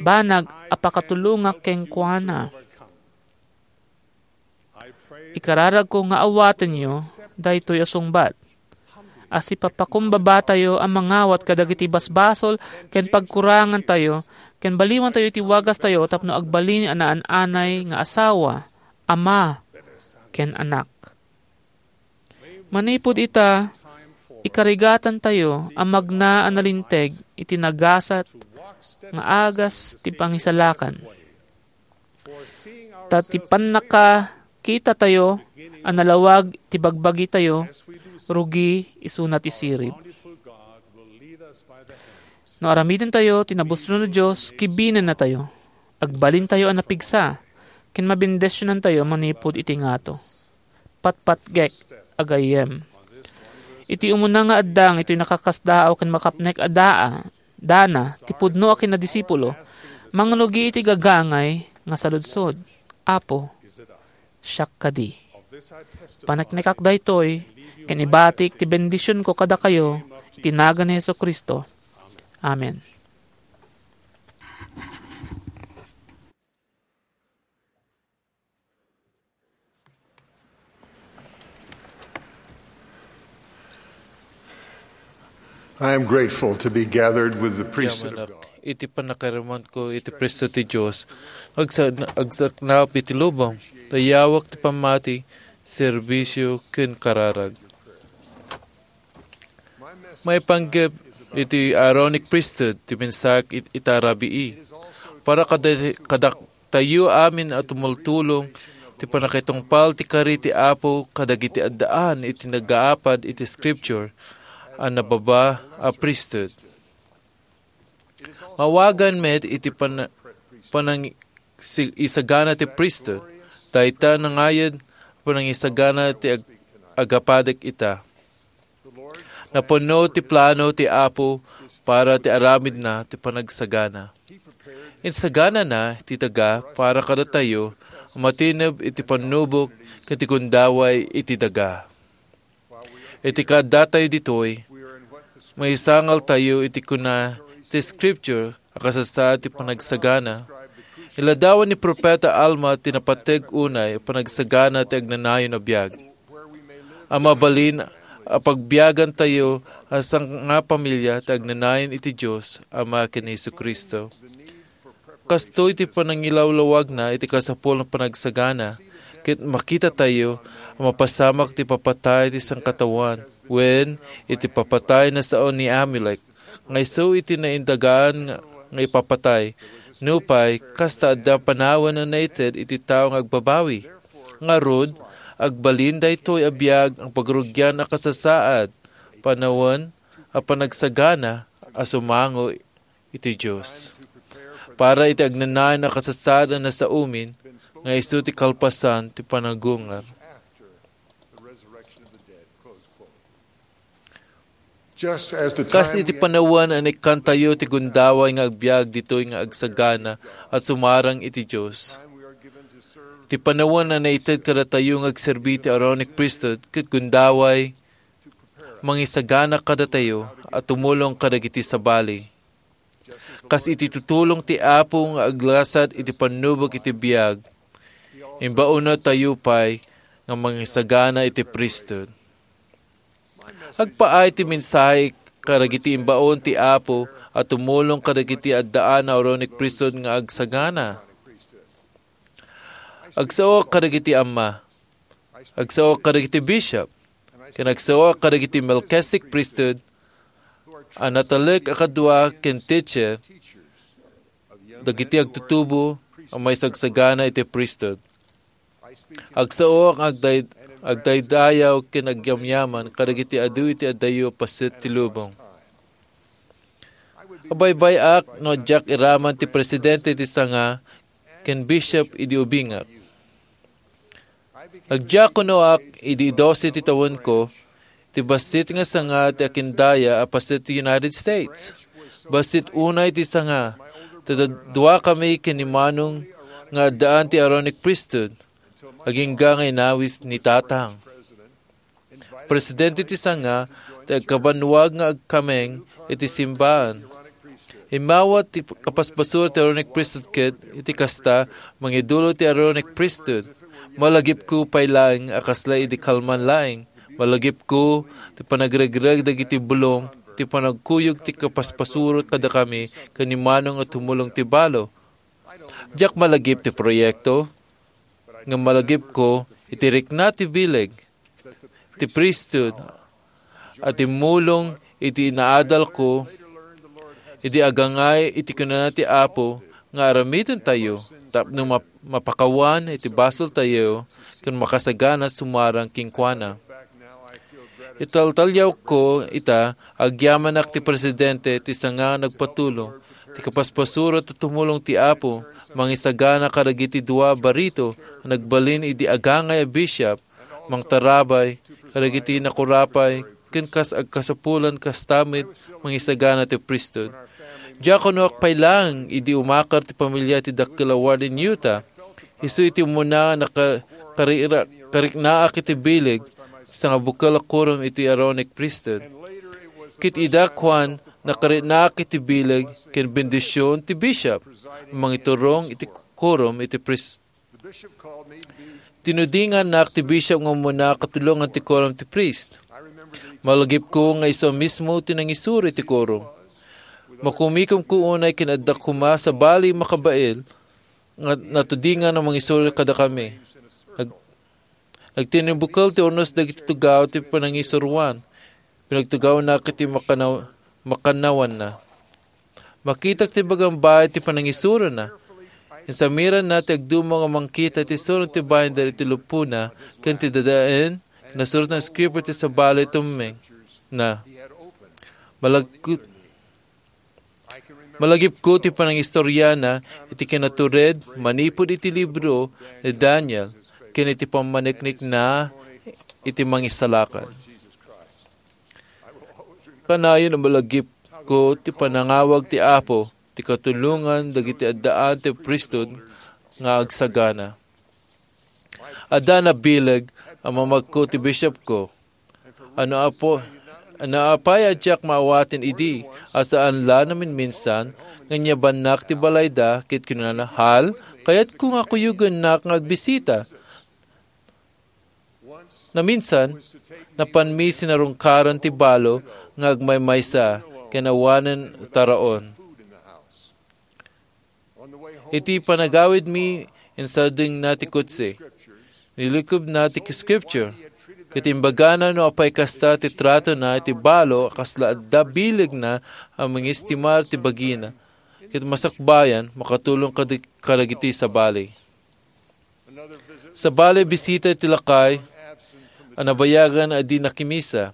banag a pakatulongak kenkuana." Ikararagko nga awatenyo daytoy a sungbat. A sipapakumbabatayo a mangawat kadagiti basbasol ken pagkurangantayo, ken baliwantayo iti wagastayo tapno agbalin a naan-anay nga asawa, ama, ken anak. Manipud ita, ikarigatantayo a magna a nalinteg iti nagasat nga agas ti pangisalakan. Ta ti pannakakitatayo a nalawag ti bagbagitayo, rugi isuna ti sirib. No aramidentayo ti nabusron a Dios, kibinennatayo. Agbalintayo a napigsa, ken mabendisionantayo manipud iti ngato. Patpatgek a gayyem. Iti umuna nga addang itoy nakakasdaaw ken makapnek a daa, dana, ti pudno a kinadisipulo, mangrugi iti gagangay nga saludsod, "Apo, siak kadi?" Paneknekak daytoy, ken ibatik ti bendisionko kadakayo iti nagan ni Jesu-Cristo. Amen. I am grateful to be gathered with the priesthood of Yamanak God. Iti pannakarimanko iti priesthood ti Dios, agsa-, agsaknap iti lubong, dayawak ti pammati, serbisio, ken kararag. Maipanggep iti Aaronic priesthood ti mensahe it-, ita a rabii. Para kada-, kadaktayo amin a tumultulong ti pannakitungpal ti kari ti Apo kadagiti addaan iti nagaapad iti Scripture a nababa a priesthood. Mawagan met iti pan-, panang-, si-, isagana ti priesthood, dayta nangayad panangisagana ti ag-, agapadek ita. Napuno ti plano ti Apo para ti aramidna ti panagsagana. Insaganana ti daga para kadatayo a matineb iti pannubok ken ti gundaway iti daga. Iti kaaddatayo ditoy, maisangaltayo iti kuna ti Scripture a kasasaad ti panagsagana. Iladawan ni Propeta Alma ti napateg unay a panagsagana ti agnanayon a biag. A mabalin a pagbiagantayo a sangapamilya ti agnanayon iti Dios Ama ken Jesu-Cristo. Kastoy ti panangilawlawagna iti kasapulan a panagsagana. Ket makitatayo a mapasamak ti ipapatay ti sangkataoan, wen, iti ipapatay a sao ni Amulek, nga isu iti naindagan nga, nga ipapatay. Nupay, kasta, adda panawen a naited iti tao nga agbabawi. Ngarud, agbalin daytoy a biag a pagrugian a kasasaad, panawen a panagsagana a sumango iti Dios. Para iti agnanayon a kasasaad a nasaomin, nga isu ti kalpasan ti panagungar. Just as the Kas time iti we panawen a naikkantayo ti gundaway nga agbiag ditoy nga agsagana a sumarang iti Dios. Ti panawen a naited kadatayo nga agserbi ti Aaronic Priesthood ket gundaway, mangisagana kadatayo a tumulong kadagiti sabali. Kas iti tutulong ti Apo nga aglasat iti pannubok iti biag, imbaonatayo pay nga mangisagana iti priesthood. Agpaay ti mensahe kadagiti imbaon ti Apo a tumulong kadagiti addaan a Aaronic Priesthood nga agsagana. Agsaoak kadagiti amma. Agsaoak kadagiti bishop. Ken agsaoak kadagiti Melchizedek Priesthood a natalek a kadua ken teacher dagiti agtutubo a maisagsagana iti priesthood. Agsaoak nga agday-, agdaydayaw ken agyamyaman kadagiti adu iti addayo a paset ti lubong. Abaybay-ak no diak iraman ti presidente ti sanga ken bishop idi ubingak. Nagdiakonoak idi dose ti tawenko, ti bassit nga sanga ti akindaya a paset ti United States. Bassit unay ti sanga, ta dua kami ken ni Manong nga addaan ti Aaronic Priesthood, agingga nga inawis ni Tatang. Presidente ti sanga ti agkabannuag nga agkameng iti simbaan. Immawat ti kapaspasuro ti Aaronic Priesthood ket iti kasta, mangidulo ti Aaronic Priesthood. Malagipko pay laeng a kasla idi kalman laeng. Malagipko ti panagregreg dagiti bulong, ti panagkuyog ti kapaspasuro kadakami ken ni Manong a tumulong ti balo. Diak malagip ti proyekto, ngem malagipko iti rikna ti bileg, ti priesthood, a timmulong iti inaadalko, idi agangay iti kinuna ti Apo nga aramidentayo tapno map-, mapakawan iti basoltayo ken makasagana sumarang kenkuana. Italtaliawko ita, agyamanak ti presidente ti sanga nagpatulong, ti kapaspasuro ti tumulong ti Apo, mangisagana kadagiti dua a barito a nagbalin idi agangay a bishop, mangtarabay kadagiti nakurapay, ken kas agkasapulan kasta met mangisagana ti priesthood. Diakonoak pay laeng idi umakar ti pamilia ti dakkel a ward in Utah. Isu iti umuna a naka-, karira-, kariknaak iti bileg ti sangabukel a quorum iti Aaronic Priesthood. Ket ida, kuan, nakariknaak iti bileg ken bendision ti bishop a mangiturong iti quorum iti priest. Tinudingannak ti bishop nga umuna a katulongan ti quorum ti priest. Malagipko nga isu a mismo ti nangisuro iti quorum. Makumikomko unay ken adda koma sabali a makabael nga natudingan a mangisuro kadakami. Nag-, nagtinimbukel ti urnos dagiti tugaw ti panangisuroan. Pinagtugawnak iti makanaw-, makannawanna. Makitak ti bagambaay ti panangisurona. Insamiranna ti agdumong a mangkita iti surong ti binder iti lupona ken ti dadaen, nasurat nga script iti sabali tumeng na. Malagkut-, malagipko ti panangistoriana iti kinatured manipud iti libro ni Daniel ken iti pammaniknikna iti Mangisalakan. Kanayon a malagipko ti panangawag ti Apo ti katulongan dagiti addaan ti priesthood nga agsagana. Adda nabileg a mamagko ti bishopko. Ano apo, ano apay a diak maawaten idi, a saan la naminminsan, nga inyabannak ti balayda, ket kinunana, "Hal, kayatko nga kuyogennak nga agbisita." Naminsan, napanmi sinarungkaran ti balo nga agmaymaysa ken awanen taraon. Iti panagawidmi, insardengna ti kotse. Nilukobna ti Scripture, ket imbagana no apay kasta ti tratona iti balo a kasla adda bilegna a mangistimar ti bagina, ket masakbayan, makatulong kad-, kadagiti sabali. Sabali, bisita iti lakay a nabayagan a di nakimisa.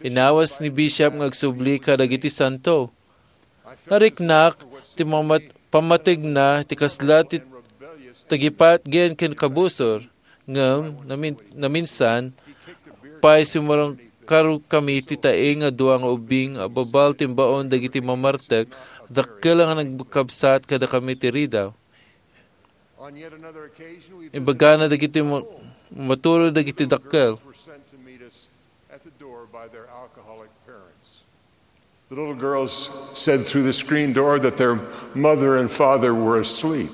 Inawas ni Bishop nga agsubli kadagiti santo. Nariknak ti mamat-, pammategna ti kasla ti tagipatgen ken kabusor, ngem namin-, naminsan pay sumurungkar kami ti taeng a dua nga ubing a babal ti imbaon dagiti mamartek, dakkel nga nagkabsat kadakami ti ridaw. Imbagana dagiti ma-, maturod dagiti dakkel. The little girls said through the screen door that their mother and father were asleep.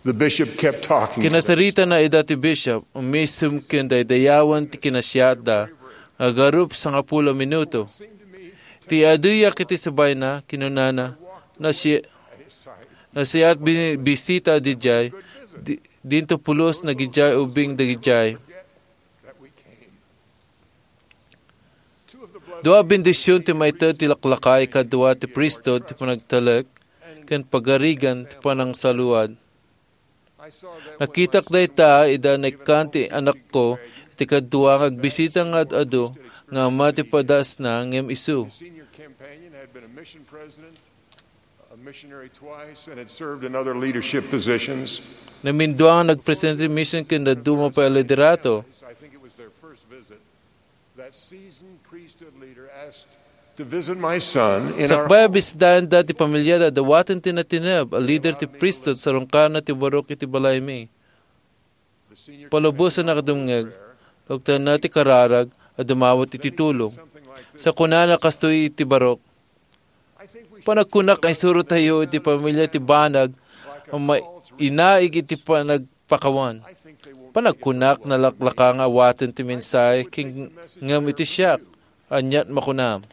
The bishop kept talking to them. Kinasarita na ida ti bishop, umisem ken daydayawen ti kinasiatda, nga agarup sangapulo a minuto. Ti aduyak iti sabayna, kinunana, "Nasi-, nasiat bi-, bisita didiay, di-, dinto pulos nagidiay ubing dagidiay." Dua a bendision ti maited ti laklakay kadua ti priesthood ti panagtalek ken pagarigan ti panangsaluad. Nakitak dayta ida naikkan ti anakko iti kadua nga agbisita nga ad-adu nga ama ti padasna ngem isu. A missionary twice and had served in other leadership positions. Namindua nga nagpresidente ti mission ken dadduma pay a liderato. That seasoned priesthood leader asked to visit my son in our Sakbay a bisitaenda ti pamiliada, dawaten ti natineb a lider ti priesthood sarungkarna ti barok iti balaymi. Palubosan a dumngeg, lugtanna ti kararag a dumawat iti tulong. Sa kunana kastoy iti barok, "Panagkunak nga isurotayo iti pamilia ti banag a mainaig iti panagpakawan. Panagkunak nalaklaka nga awaten ti mensahe ken ngem iti siak, aniat makunam?"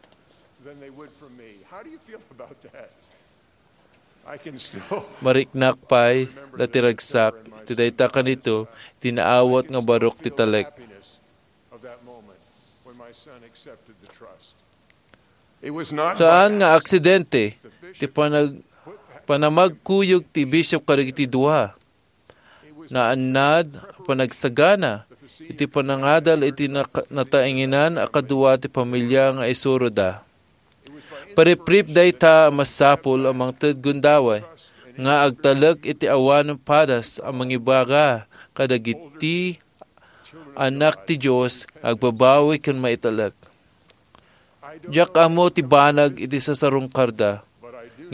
Then they would from me. How do you feel about that? I can still Mariknak pay dati ragsak iti dayta kanito ti naawat nga barok ti talek. Of that moment when my son accepted the trust. It was not Saan by nga aksidente ti panag-, panamagkuyog ti bishop kadagiti dua. Naannad a panagsagana iti panangadal iti naka-, nataengenan a kadua ti pamilia nga isuroda. Pariprip dayta a masapul a mangted gundaway nga agtalek iti awan padas a mangibaga kadagiti anak ti Dios nga agbabawi ken maitalek. Diak ammo ti banag iti sasarungkarda,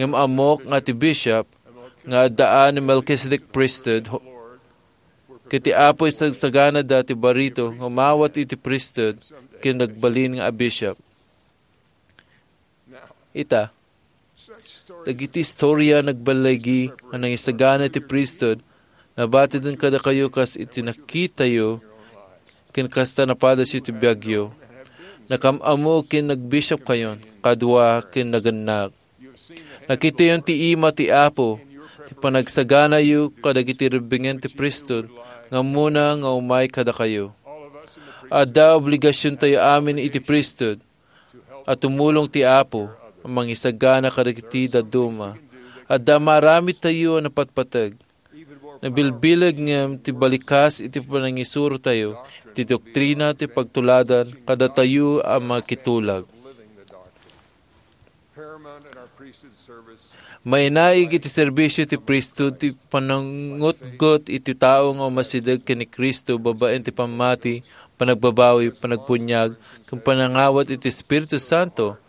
ngem ammok nga ti bishop nga addaan ni Melchizedek Priesthood, ho-, ket ti Apo isagsaganada ti barito nga umawat iti priesthood ken nagbalin nga a bishop. Ita, dagiti istorya nagballigi nga nangisagana ti priesthood, nabatiden kadakayo kas iti nakitayo ken kasta napadasyo ti biagyo. Nakam-ammo ken nagbishopkayon, kadua ken nagannak. Nakitayon ti ima ti Apo, ti panagsaganayo kadagiti rebbingen ti priesthood nga ammona nga umay kadakayo. Adda obligasiontayo amin iti priesthood, a tumulong ti Apo a mangisagana kadagiti dadduma. Adda maaramidtayo a napatpateg. Nabilbileg ngem ti balikas iti panangisurotayo iti doktrina ti pagtuladan kadatayo a makitulag. Mainaig iti serbisio ti priesthood ti panangngutngot iti tao nga umasideg ken ni Cristo babaen ti pammati, panagbabawi, panagpuniag, ken panangawat iti Espiritu Santo.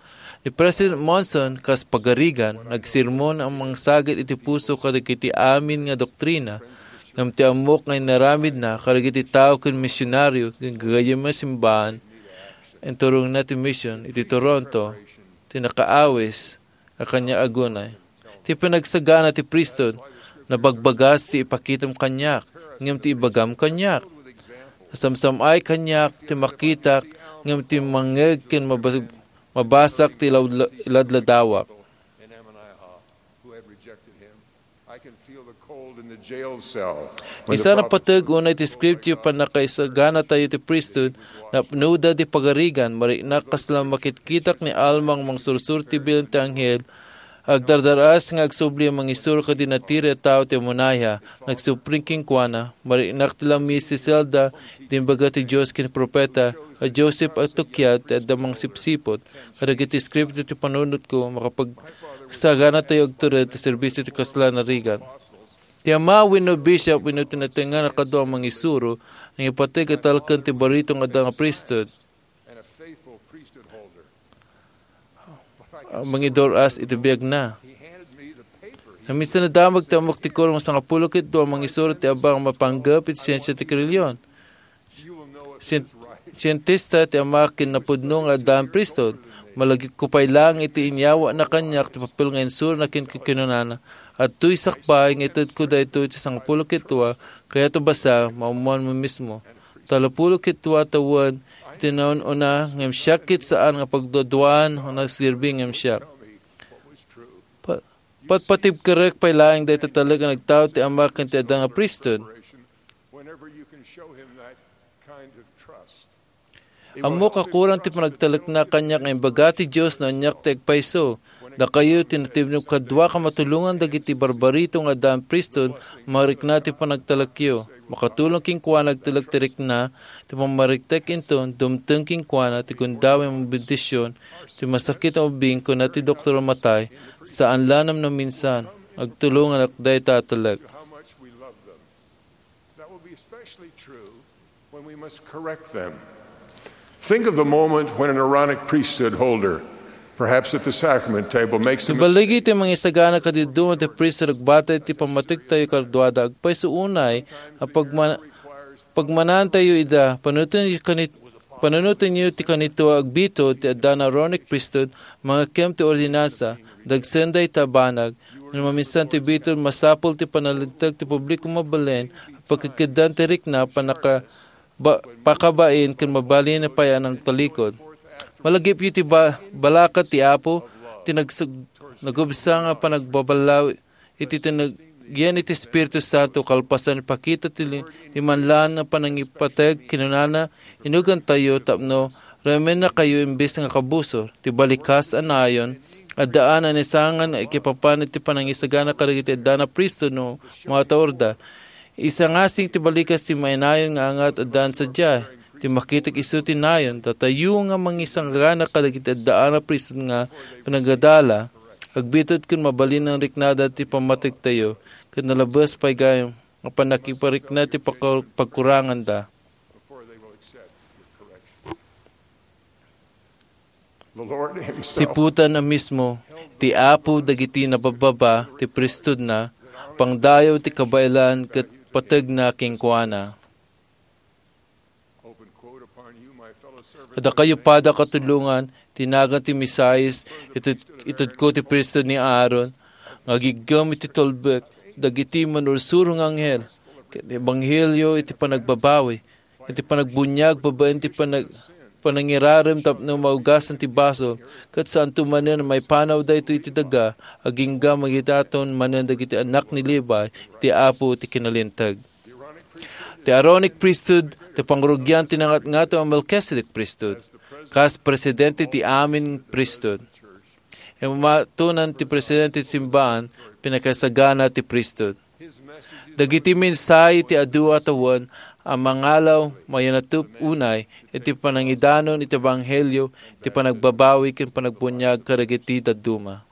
Ni President Monson, kas pagarigan, nagsermon a mangsagid iti puso kadagiti amin nga doktrina, ngem ti ammok nga inaramidna kadagiti tao ken misionario ken gagayyem nga simbahan, inturongna ti mision iti Toronto, ti nakaawis a kaniak agunay. Ti panagsagana ti priesthood, nabagbagas ti ipakitam kaniak, ngem ti ibagam kaniak. Nasamsam-ay kaniak ti makitak, ngem ti mangngeg ken mabas-, mabasak ti law-, ladladawak. I can feel the cold Insana pateg unay ti scriptio pannakaisaganatayo ti priesthood, napnoda ti pagarigan, mariknak kasla makitkitak ni Alma nga mangsursuro ti bilin ti anghel, agdardar-as nga agsubli a mangisuro kadagiti natiri a tao ti amonaya, nagsubli kenkuana, mariknak ti lammis ti selda, iti imbaga ti Dios ken profeta, a Joseph a tukiad ti adda mangsipsipot, kadagiti scriptio ti panunotko, makapagsaganatayo agtured ti serbisio ti kasla a rigat. Ti ama wenno bishop wenno ti natnangan a kadua a mangisuro, nangipateg a talken ti barito nga adda nga priesthood, a mangidor-as iti biagna. Naminsan nadamag ti ammok ti kurong sangapulo ket dua a mangisuro ti abang a mapanggep iti siensia ti relihiyon. Sien-, sientista ti ama ken napudno nga addaan priesthood. Malagipko pay laeng iti inyawatna kaniak ti papel nga insurona ken kinunana, "Adtoy sakbay nga itedko daytoy ti sangapulo ket dua, kayat a basa, maammoanmo mismo. Tallopulo ket dua tawen ti naun-una ngem siak ket saan nga pagduaduaan nga nagserbi ngem siak." Pa-, patpatibkerek pay laeng dayta talek a nagtaud ti ama ken ti adda nga priesthood. Ammok a kurang ti panagtalekna kaniak nga imbaga ti Dios no aniak ti agpayso. Dakayo ti natibnok kadua a matulongan dagiti barbarito nga addaan priesthood, marikna ti panagtalekyo. Makatulong kenkuana agtalek ti rikna, ti pammariktek inton, dumteng kenkuana ti gundaway a bendision, ti masakit a ubbing, kuna ti doktor a matay, saan la no naminsan, agtulonganak dayta a talek. That will be especially true when we must correct them. Think of the moment when an Aaronic priesthood holder, perhaps at the sacrament table, makes a mistake. Ibaligi ti mangisagana kadiduma ti priesthood agbatay ti pammatiktayo kaduada. Agpayso unay a pagma-, pagmanantayo ida, panunotenyo kanit-, panunotenyo ti kanito a agbitud ti addaan a Aaronic priesthood, mangngegkem ti ordinansa, dagsen dayta banag, No maminsan ti bitud, masapul ti panalinteg ti publiko mabalin a pakikkeddaan ti rikna, panaka-, ba-, pakabain ken mabalin a pay a nangtalikod. Malagipyo ti ba-, balakat ti Apo, ti nagsug-, nagubsa nga panagbaballaw iti tinag-, yen iti Espiritu Santo, kalpasan ipakita ti li-, limanlan a panangipateg, kinunana, Inugantayo tapno ramennakayo imbes nga kabusor. Ti balikas a nayon, addaan a naisangan a ikipapan iti panangisagana kadagiti addaan a priesthood no maataorda. Isangasing ti balikas ti mainayon nga angat addaan sadiay. Ti makitak isu ti nayon, datayo nga mangisagana kadagiti addaan a priesthood nga panagadala, agbitud ken mabalin a riknada ti pammatiktayo, ket nalabes pay gayam nga pannakiparikna ti paka-, pagkuranganda. Siputan a mismo ti Apo dagiti nabababa ti priesthoodna, pangdayaw ti kabaelan ket pategna kenkuana. Kadakayo pay a katulongan, ti nagan ti Mesias, ited-, itedko ti priesthood ni Aaron, nga agiggem iti tulbek dagiti manursuro nga anghel, ket ebanghelio iti panagbabawi, iti panagbuniag babaen ti panag-, panangirarem tapno maugasan ti basol, ket saanto manen a maipanaw daytoy iti daga, agingga magidaton manen dagiti annak ni Levi, iti Apo ti kinalinteg. Ti Aaronic priesthood, ti pangrugian ti nangatngato a Melchizedek priesthood, kas presidente ti amin priesthood. Imatonan ti presidente ti simbaan, pinakasagana ti priesthood. Dagiti mensahe ti adu a tawen a mangalaw, mayanatup unay iti panangidanon iti ebanghelio, iti panagbabawi ken panagbuniag kadagiti dadduma.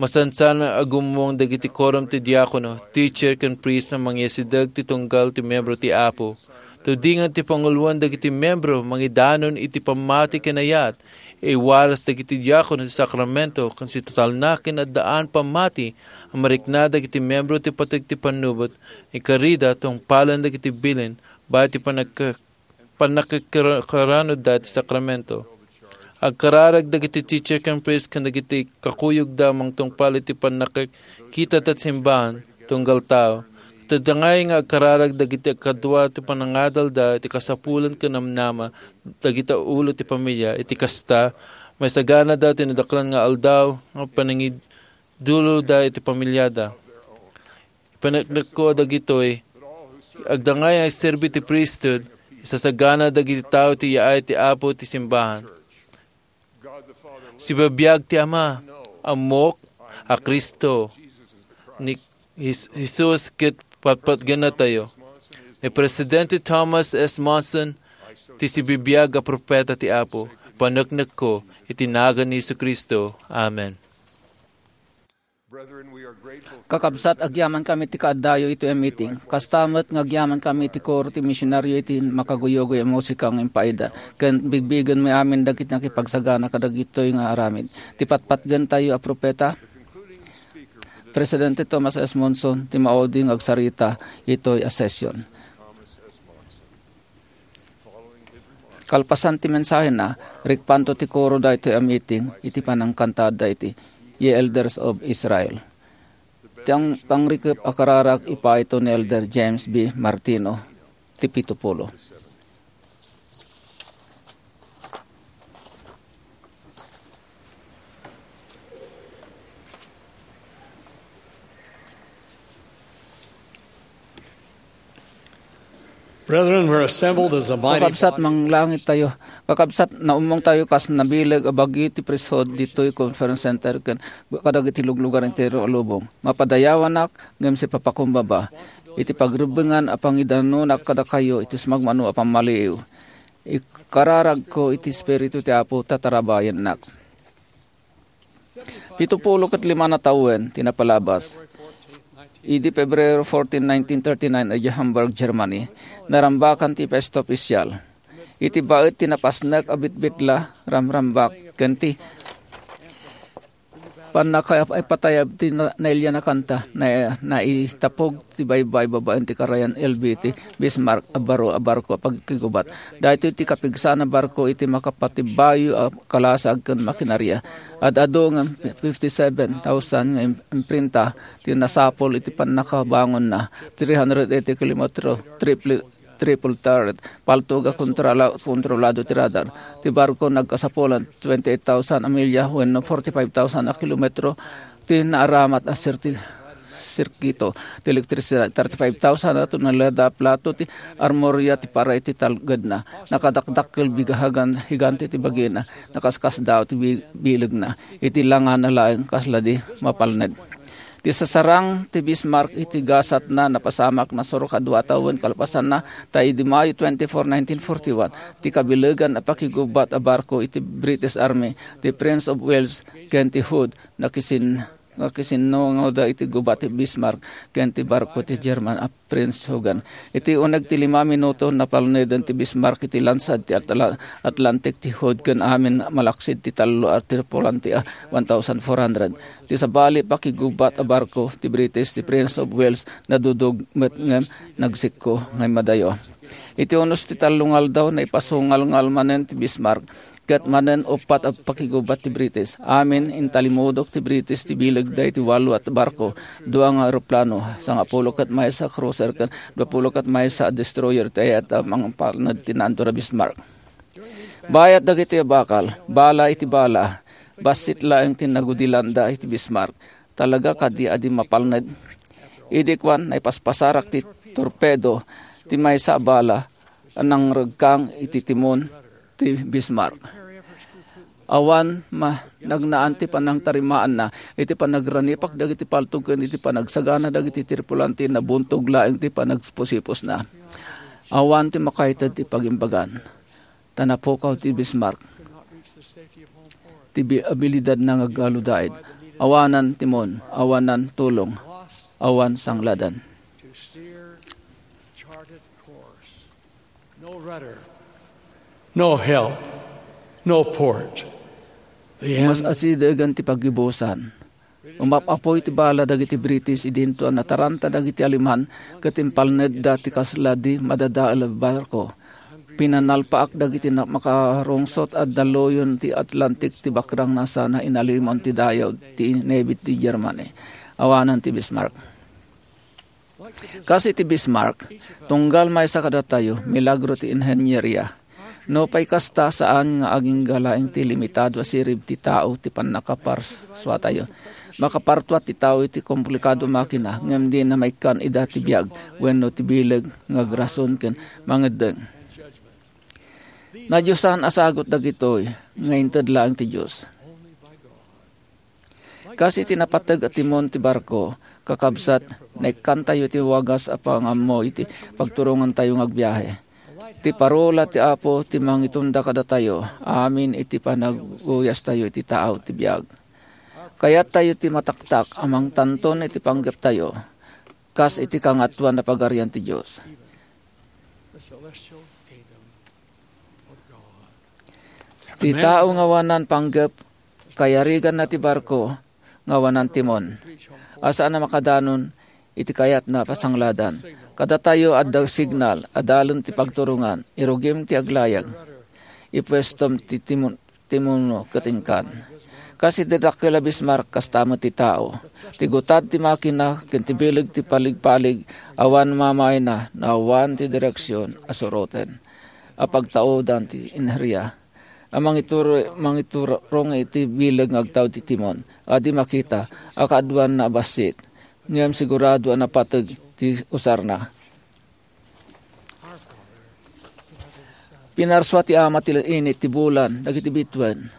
Masansan a gummueng dagiti korom ti diakono, teacher, ken priest a mangiyasideg ti tunggal ti membro ti Apo. Tudingan ti panguloen dagiti membro mangidanon iti pammati ken ayat. Iwaras dagiti diakono ti sakramento ken sitatalna ken addaan pammati a marikna dagiti membro ti pateg ti pannubot, ikarida tungpalen dagiti bilin, bayat ti panagka-, pannakikkaranudda ti sakramento. Agkararag dagiti teacher ken priest ken dagiti kakuyogda mangtungpal iti pannakikita ti simbaan, tunggal tao. Ket adda ngay nga agkararag dagiti kadua ti panangadalda iti kasapulan ken namnama dagiti ulo ti pamilia. Iti kasta, maisaganada ti nadaklan nga aldaw nga panangidulolda iti pamiliada. Paneknekko dagitoy, agdangay nga agserbi ti priesthood, isasagana dagiti tao ti yaay ti Apo ti simbahan. Sibibiag ti Ama, ammok a Cristo, ni Jes-, Jesus ket patpatgennatayo. Ni Presidente Thomas S. Monson, ti sibibiag a propeta ti Apo, paneknekko iti nagan ni Jesu-Cristo. Amen. Kakabsat, agyamankami iti kaaddayo itoy a meeting. Kasta met nga agyamankami iti koro ti misionaryo iti makaguyugoy a musika nga impaayda, ken bigbigenmi amin dagiti nakipagsagana kadagitoy nga aramid. Ti patpatgentayo a propeta, Presidente Thomas S. Monson, ti maudi nga agsarita itoy a session. Kalpasan ti mensahena, rikpanto ti koro daytoy a meeting iti panangkantada iti Ye Elders of Israel. Ti ang-, pangrikep a kararag ipaiton ni Elder James B. Martino, ti pito pulo. Brethren, we're assembled as a mighty Kakabsat, body. Manglangit tayo. Kakabsat, naummong tayo kas nabileg a bagi ti priesthood ditoy Conference Center ken kadagiti luglugar entero a lubong. Mapadayawanak ngem sipapakumbaba iti pagrebbengan a pangidanonak kadakayo iti sumagmamano a pammaliiw. Ikararagko iti Espiritu ti Apo, tatarabayennak. Pito pulo ket lima a tawen ti napalabas. Idi Pebrero fourteen, nineteen thirty-nine, idiay Hamburg, Germany, narambakan ti pesta opisyal. Iti baet ti napasnek a bitbitla, ramrambak, ken ti pannakaipatayab ti na-, nailian a kanta, na-, naitapog ti baybay babaen ti karayan L B ti Bismarck a baro a barko a pagkigubat. Daytoy ti kapigsa a barko iti makapatibayo a kalasag ken makinaria. Ad-adu nga fifty-seven thousand nga im-, imprinta ti nasapul iti pannakabangonna, three hundred eighty kilometro, triple, triple turret, paltog a kontrola-, kontrolado ti radar. Ti barko nagkasapulan twenty-eight thousand a milya wenno forty-five thousand a kilometro ti naaramat a sirti-, sirkito ti elektrisidad, thirty-five thousand a tonelada a plato ti armoria ti para iti talgedna. Nakadakdakkel bigahagan higante ti bagina, nakaskasdaaw ti bi-, bilegna. Iti langana laeng kasla di mapalned. Ti sasarang ti Bismarck iti gasatna napasamak nasurok a dua a tawen kalpasanna, ta idi Mayo twenty-four, nineteen forty-one, ti kabilegan a pakigubat a barko iti British Army, ti Prince of Wales ken ti Hood, nakisin-, nakisinungoda iti gubat ti Bismarck ken ti barko ti German a Prinz Eugen. Iti uneg ti lima minuto, napalneden ti Bismarck iti lansad ti Atla-, Atlantic ti Hood ken amin malaksid ti tallo a tripulante a one thousand four hundred. Ti sabali, pakigubat a barko ti British, ti Prince of Wales, nadudog met ngem nagsikko nga immadayo. Iti unos ti tallo nga aldaw, naipasungalngal manen ti Bismarck, ket manen uppat a pakigubat ti British. Amin, intalimudok ti British ti bilegda iti walo a barko, dua nga eroplano, sangapulo ket maysa a cruiser ken duapulo ket maysa a destroyer ti ayat a mangpalned ti naantur a Bismarck. Bayat dagiti a bakal, bala iti bala, bassit laeng ti nagudilanda iti Bismarck. Talaga kadi a di mapalned? Idi kuan, naipaspasarak ti torpedo ti maysa a bala a nangregkang iti timon ti Bismarck. Awan ma-, nagnaan ti panangtarimaanna iti panagrangipak dagiti paltog ken iti panagsagana dagiti tripulante, nabuntog laeng ti panagsipusipusna. Awan ti makaited ti pagimbagan. Ta napukaw ti Bismarck. Ti bi-, abilidadna nga aggaludaid. Awanan timon, awanan tulong, awan sangladan. No rudder, no help, no port. The end. Mas asidegen ti paggibusan. Umap-apuy ti bala dagiti British idinto a nataranta dagiti Aleman ket impalnedda ti kasla di madadael a barko. Pinanalpaak dagiti na-, makarungsot a daluyon ti Atlantic ti bakrangna sana inalimon ti dayaw ti Navy ti Germany. Awanan ti Bismarck. Kas iti Bismarck, tunggal maysa kadatayo, milagro ti inhenyeria. No pay kasta, saan nga agingga laeng ti limitado a sirib ti tao ti pannakaparsuatayo. Makapartua ti tao iti komplikado a makina, ngem dina maikkan ida ti biag wenno ti bileg nga agrason ken mangeddeng. Nadiosan a sagut dagitoy nga inted laeng ti Dios. Kas iti napateg a timon ti barko, kakabsat, naikkantayo ti wagas a pangammo iti pagturongantayo nga agbiahe. Ti parola ti Apo ti mangitonda kadatayo amin iti panagguyastayo iti tao ti biag. Kayattayo ti mataktak a mangtanton iti panggeptayo, kas iti Kangatoan a Pagarian ti Dios. Ti tao nga awanan panggep, kayariganna ti barko nga awanan timon, a saan a makadanon iti kayatna a pasangladan. Kadatayo, adda signal, adalen ti pagturongan, irugim ti aglayag, ipuestom ti timon, timuno ket inkan. Kas iti dakkel a Bismarck, kasta met ti tao. Ti gutad ti makina ken ti bileg ti paligpalig, awan mamayna, no awan ti direksion a suroten, a pagtaudan ti inheria a mangitur-, mangiturong iti bileg nga agtaud ti timon, a di makita a kaaduanna a bassit, ngem sigurado a napateg ti usarna. Pinarsua ti Ama ti init ti bulan dagiti bituen.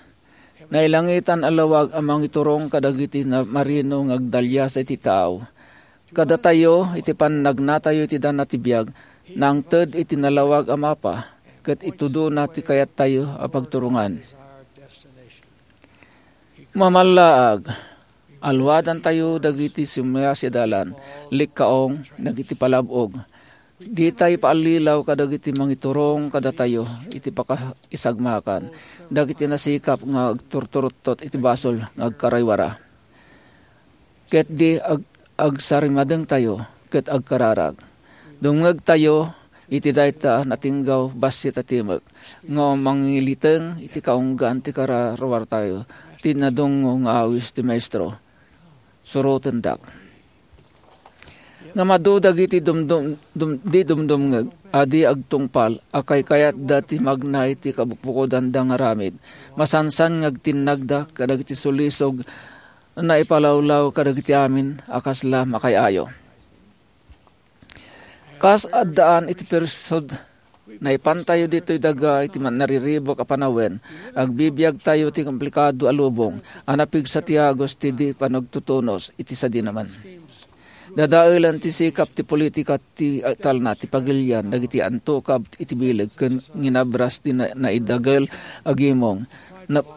Nailangitan a lawag a mangiturong kadagiti na-, marino nga agdaliasa iti tao. Kadatayo, iti pannagnatayo iti dana ti biag, nangted iti nalawag a mapa, ket itudona ti kayattayo a pagturongan. Mamallaag, aluadantayo dagiti sumiasidalan, likkaong, dagiti palab-og. Dita ipaallilaw kadagiti mangiturong kadatayo iti pakaisagmakan, dagiti nasikap nga agturturuttot iti basol nga agkaraywara. Ket di ag-, agsarimadengtayo ket agkararag. Dumngegtayo iti dayta natinggaw bassit a timek nga mangiliteng iti kaunggaan ti kararuartayo ti nadungngo nga awis ti Maestro. Surotendak. Ngem adu dagiti dumdum-, dum-, di dumdumngeg a di agtungpal a kaykayatda ti magnay ti kabukbukodanda nga aramid. Masansan nga agtinnagda kadagiti sulisog naipalawlaw kadagiti amin a kasla makaay-ayo. Kas addaan iti priesthood, naipantayo ditoy daga iti man-, nariribuk a panawen, agbibiagtayo ti komplikado a lubong a napigsa ti agos ti di panagtutunos iti sadinaman. Dadaelan ti sikap ti politika ti talna ti pagilian dagiti antukab iti bileg ken nginabras ti na-, naidagel a gimong. Na-,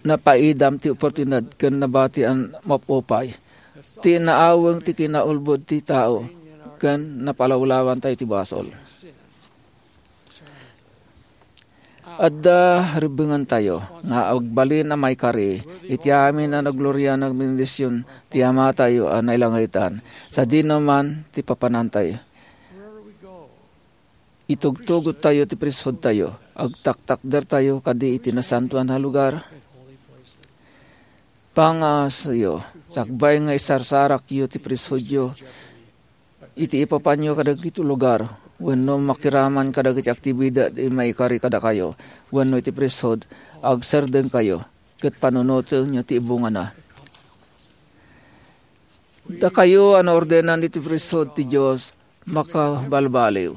napaidam ti oportunidad ken nabati a mapupay. Ti naaweng ti kinaulbod ti tao ken napalawlawantayo ti basol. Adda ribbengantayo nga agbalin a maikari iti amin a naglorian a bendision ti Amatayo a nailangitan, sadino man ti papanantayo. Itugtugottayo ti priesthoodtayo, agtaktakdertayo kadi iti nasantoan a lugar. Pangaasayo, sakbay nga isarsarakyo ti priesthoodyo, iti ipapanyo kadagiti lugar, wenno makiraman kadagiti aktibidad a maikari kadakayo, wenno iti priesthood, agserdengkayo, ket panunotenyo ti ibungana. Dakayo a naordenan iti priesthood ti Dios, makabalbaliw.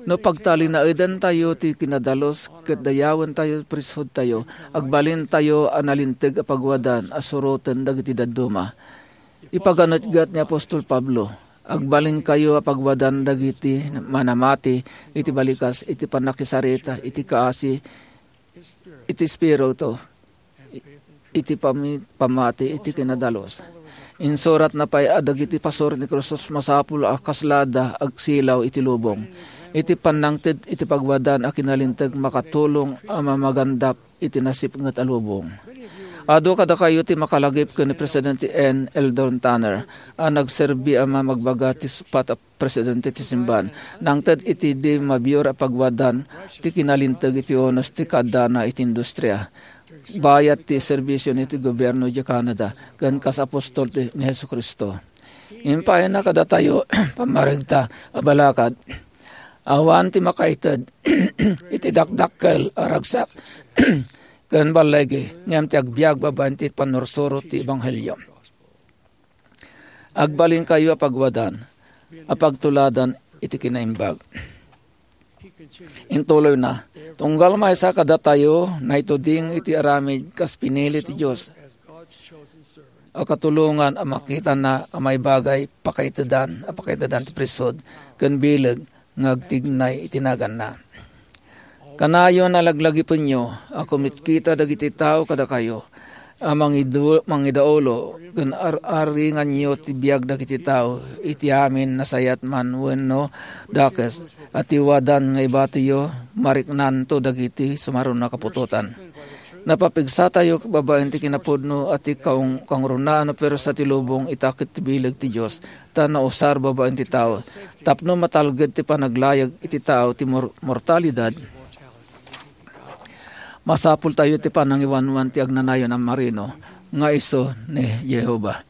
No pagtalinaedantayo ti kinadalus ket dayawentayo ti priesthoodtayo, agbalintayo a nalinteg a pagwadan a suroten dagiti dadduma. Ipaganetgat ni apostol Pablo, "Agbalinkayo a pagwadan dagiti manamati iti balikas, iti pannakisarita, iti kaasi, iti espiritu, iti pami-, pammati iti kinadalus." Insuratna pay a dagiti pasor ni Kristus masapul a kaslada agsilaw iti lubong. Iti pannangted iti pagwadan a kinalinteg makatulong a mamagandap iti nasipnget a lubong. Adu kadakayo ti makalagip ken ni Presidente N. Eldon Tanner a nagserbi a mamagbaga ti supat a presidente ti simban. Nangted iti di mabior a pagwadan ti kinalinteg iti unos ti kaadana iti industria. Bayat ti serbisyon iti gobierno di Canada ken kas apostol ti, ni Jesu-Cristo. Impayna kadatayo, pammaregta a balakad, Awan ti makaited iti dakdakkel a ragsak ken balligi, ngem ti agbiag babaen ti pannursuro ti ebanghelio. Agbalinkayo a pagwadan, a pagtuladan iti kinaimbag. Intuloyna, tunggal maysa kadatayo naituding iti aramid kas pinili ti Dios a katulongan a makitana a maibagay pakaitedan, a pakaitedan ti priesthood ken bileg nga agtignay iti naganna. Kanayon a laglagipenyo a kumitkita dagiti tao kadakayo a mangidu-, mangidaulo ken ar-, aringanyo ti biag dagiti tao iti amin, nasayat man wenno dakes, a ti wadan nga ibatiyo, mariknanto dagiti sumaruno a kaputotan. Napapigsatayo babaen ti kinapudno a ti kaung-, kangrunaan a puwersa ti lubong ita ket ti bileg ti Dios, ta nausar babaen ti tao, tapno matalged ti panaglayag iti tao ti mor-, mortalidad. Masapultayo ti panangiwanwan ti agnanayon a marino nga isu ni Jehovah.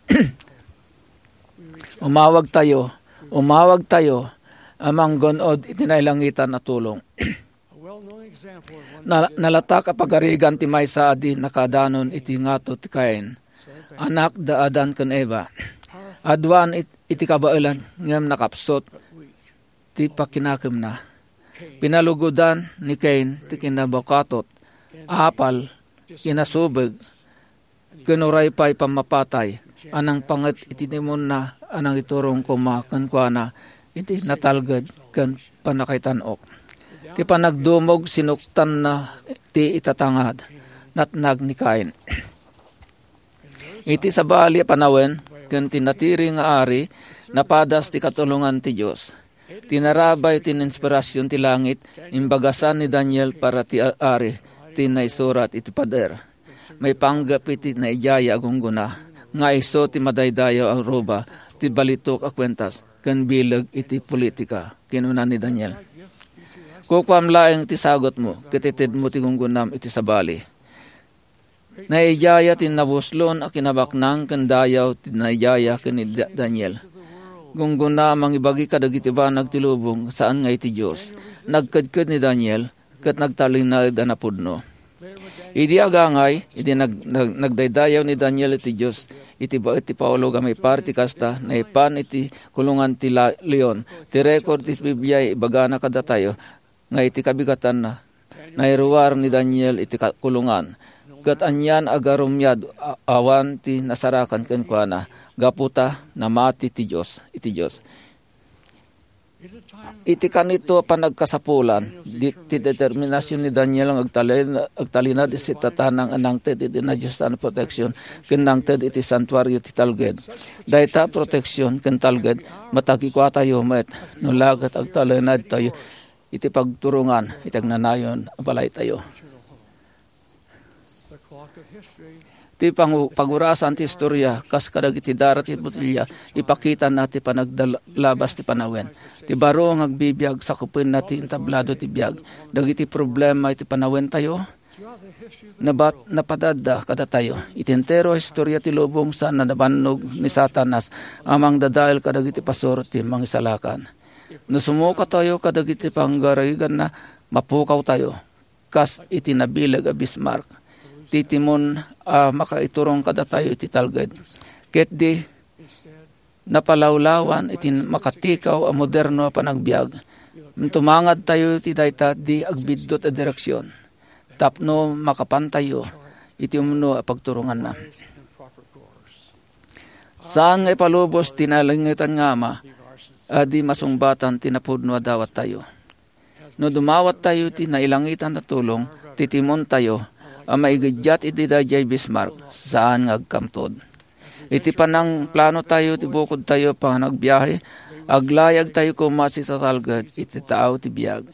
Umawagtayo, umawagtayo a manggun-od iti nailangitan a tulong. Na-, nalatak a pagarigan ti maysa a di nakaadanon iti ngato ti Cain, anak da Adan ken Eva. Aduan it-, iti kabaelan, ngem nakapsut ti pakinakemna. Pinalugodan ni Cain ti kinabukatot, apal, kinasubeg, ken uray pay pammapatay a nangpanget iti demonna a nangiturong koma kenkuana iti natalged ken pannakaitan-ok. Ti panagdumog sinuktanna ti itatangad, natnag ni Cain. Iti sabali a panawen ken ti natiri nga ari, napadas ti katulongan ti Dios. Ti narabay ti inspirasyon ti langit, imbagasan ni Daniel para ti a-, ari ti naisurat iti pader. Maipanggep iti naijaya a gunggona nga isu ti madaydayaw a ruba ti balitok a kuentas ken bileg iti politika, kinuna ni Daniel. Kukuam laeng ti sagutmo ket itedmo ti gunggonam iti sabali. Naijaya ti nabuslon a kinabaknang ken dayaw ti naijaya ken ni Da-, Daniel. Gunggona a mangibagi kadagiti banag ti lubong, saan nga iti Dios. Nagkedked ni Daniel, ket nagtalinaed a napudno. Idi agangay, idi nag-, nag-, nagdaydayaw ni Daniel iti Dios, iti baet ti Paulog a maipar ti kasta, naipan iti kulungan ti la-, leon. Ti rekord ti Biblia ibagana kadatayo nga iti kabigatanna, nairuar ni Daniel iti ka-, kulungan, ket anian a garumiad a-, awan ti nasarakan kenkuana, gapu ta namati ti Dios, iti Dios. Iti kanito a panagkasapulan, di-, ti determinasion ni Daniel nga agtalin-, agtalinaed iti tatanang a nangted iti nadiosan a proteksion ken nangted iti santuario ti talged. Dayta a proteksion ken talged, matagikuatayo met no la ket agtalinaedtayo iti pagturongan iti agnanayon a balaytayo. Ti pangu-, pagurasan ti historia, kas kadagiti dara ti botelya, ipakitana ti panagdal-, labas ti panawen. Ti baro nga agbibiag, sakupenna ti entablado ti biag. Dagiti problema iti panawentayo, nabat-, napadadda kadatayo. Iti entero a historia ti lubong, saan a nabannog ni Satanas a mangdadael kadagiti pastor ti Mangisalakan. No sumukatayo kadagiti panggariganna, mapukawtayo. Kas iti nabileg a Bismarck, ti timon a makaiturong kadatayo iti talged. Ket di napalawlawan iti makatikaw a moderno a panagbiag. Tumangadtayo iti dayta di agbiddut a direksion tapno makapantayo iti umno a pagturonganna. Saan nga ipalubos ti nalangitan nga Ama a di masungbatan ti napudno a dawattayo. No dumawattayo ti nailangitan a tulong, titimontayo a maigiddiat iti daydiay Bismarck, saan nga agkamtod. Iti panangplanotayo ti bukodtayo panagbiahe, aglayagtayo koma ti tatalged iti tao ti biag.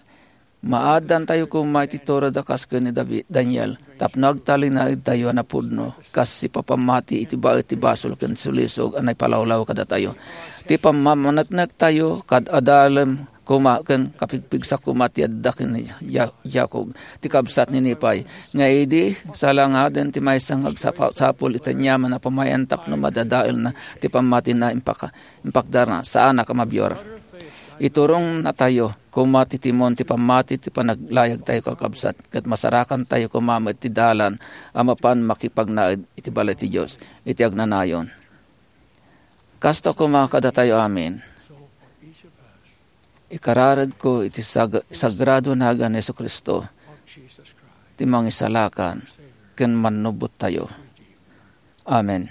Maaddantayo koma iti tured a kas ken ni Davi-, Daniel, tapno agtalinaedtayo a napudno, kas sipapammati iti baet ti basol ken sulisog a naipalawlaw kadatayo. Ti pammaneknektayo kad adalem koma ken kapigpigsa koma ti adda ken ni Ja-, Jacob, ti kabsat ni Nephi, nga idi salangaden ti maysa nga agsapa-, sapul iti aniaman a pamayan tapno madadaelna ti pammatina, impaka-, impakdarna, saanak a mabior. Iturongnatayo koma ti timon ti pammati ti panaglayagtayo, kakabsat, ket masarakantayo koma met ti dalan a mapan makipagnaed iti balay ti Dios iti agnanayon. Kasta koma kadatayo amin. Ikararadko iti sag-, sagrado nagan ni Jesu-Cristo, ti Mangisalakan ken Mannubbottayo. Amen.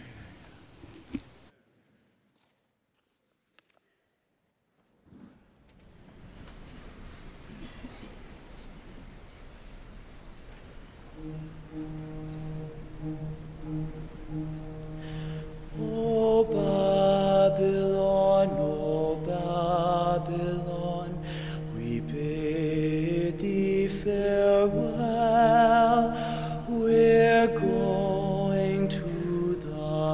O Babylon, O Babylon, we bid thee farewell. We're going to the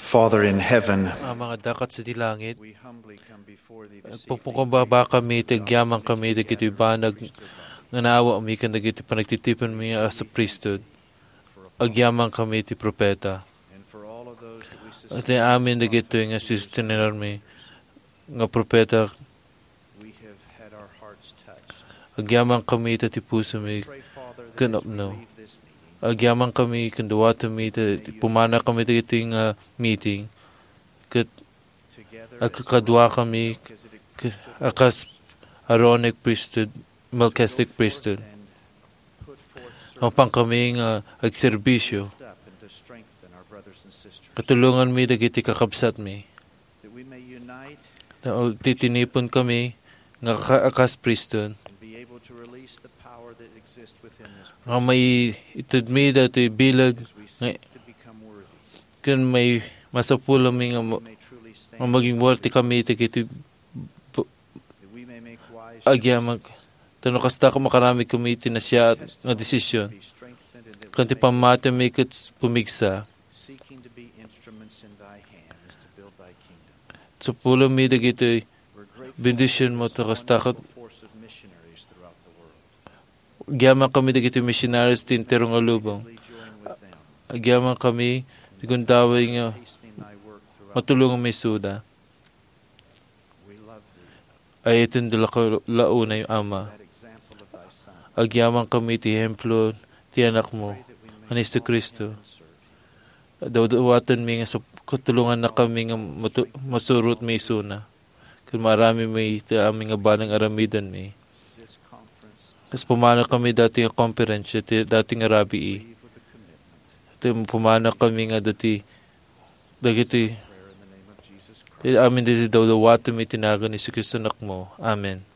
Father in heaven, Ama nga adda sadi langit, we humbly come before thee this evening. Pagpakumbaba kami, ti agyaman kami, dagiti banag nga naawami, ken dagiti panagtitiponmi a sa priesthood. Agyaman kami ti propeta. And for all of those that we Iti amin dagitoy nga sistinermi nga propeta, we have had our hearts touched. Agyaman kami ta ti pusomi Pray, Father, that ken as we apno. Leave this meeting, Agyaman kami ken dawatenmi ta ti pumana kami dagiti nga meeting. Ket together as agkakadua kami Melchizedek ke-, priesthood, a kas Aaronic priesthood, Melchizedek priesthood. And put forth service. Mapan kami nga agserbisyo. Lift up and to strengthen our brothers and sisters. Katulonganmi dagiti kakabsatmi. That we may unite Ta, o, titinipon kami nga ka-, a kas priesthood. And be able to release the power that exists within this nga priesthood. Maitedmi dati bilag as we nga seek to become worthy. Ken may masapulami nga ma-, May truly stand nga maging worthy kami dagiti bu-, that we may make wise agyaman choices. Ta no kasta, makaramid kami iti nasayaat nga desisyon. Be strengthened and Ken ti pammatimi ket pumigsa. Seeking to be instruments in thy hands to build thy kingdom. Sapulami dagiti We're grateful bendisionmo ta kasta ket for the force of missionaries throughout the world. Agyaman kami dagiti missionaries ti entero nga lubong. Join with them. Agyaman kami ti gundaway nga Tasting thy work throughout. Matulonganmi isuda. We love thee. Ay iti dula ka launay Ama. That example of thy Son. Agyaman kami ti ehemplo ti Anakmo, Pray that we may ni Jesu Cristo. Follow him and serve him. Dawdawatenmi nga sap-, katulonganna kami nga matu-, masurotmi isuna. Ken maaramidmi ti amin nga banag aramidenmi. This conference. Kas pumana kami dati nga konferensya, ti dati nga rabii. Leave with a commitment. Ti pumana kami nga dati, dagiti, Prayer in the name of Jesus Christ. Ti amin dati dawdawatenmi ti nagan ni Jesu Cristo Anakmo. Amen.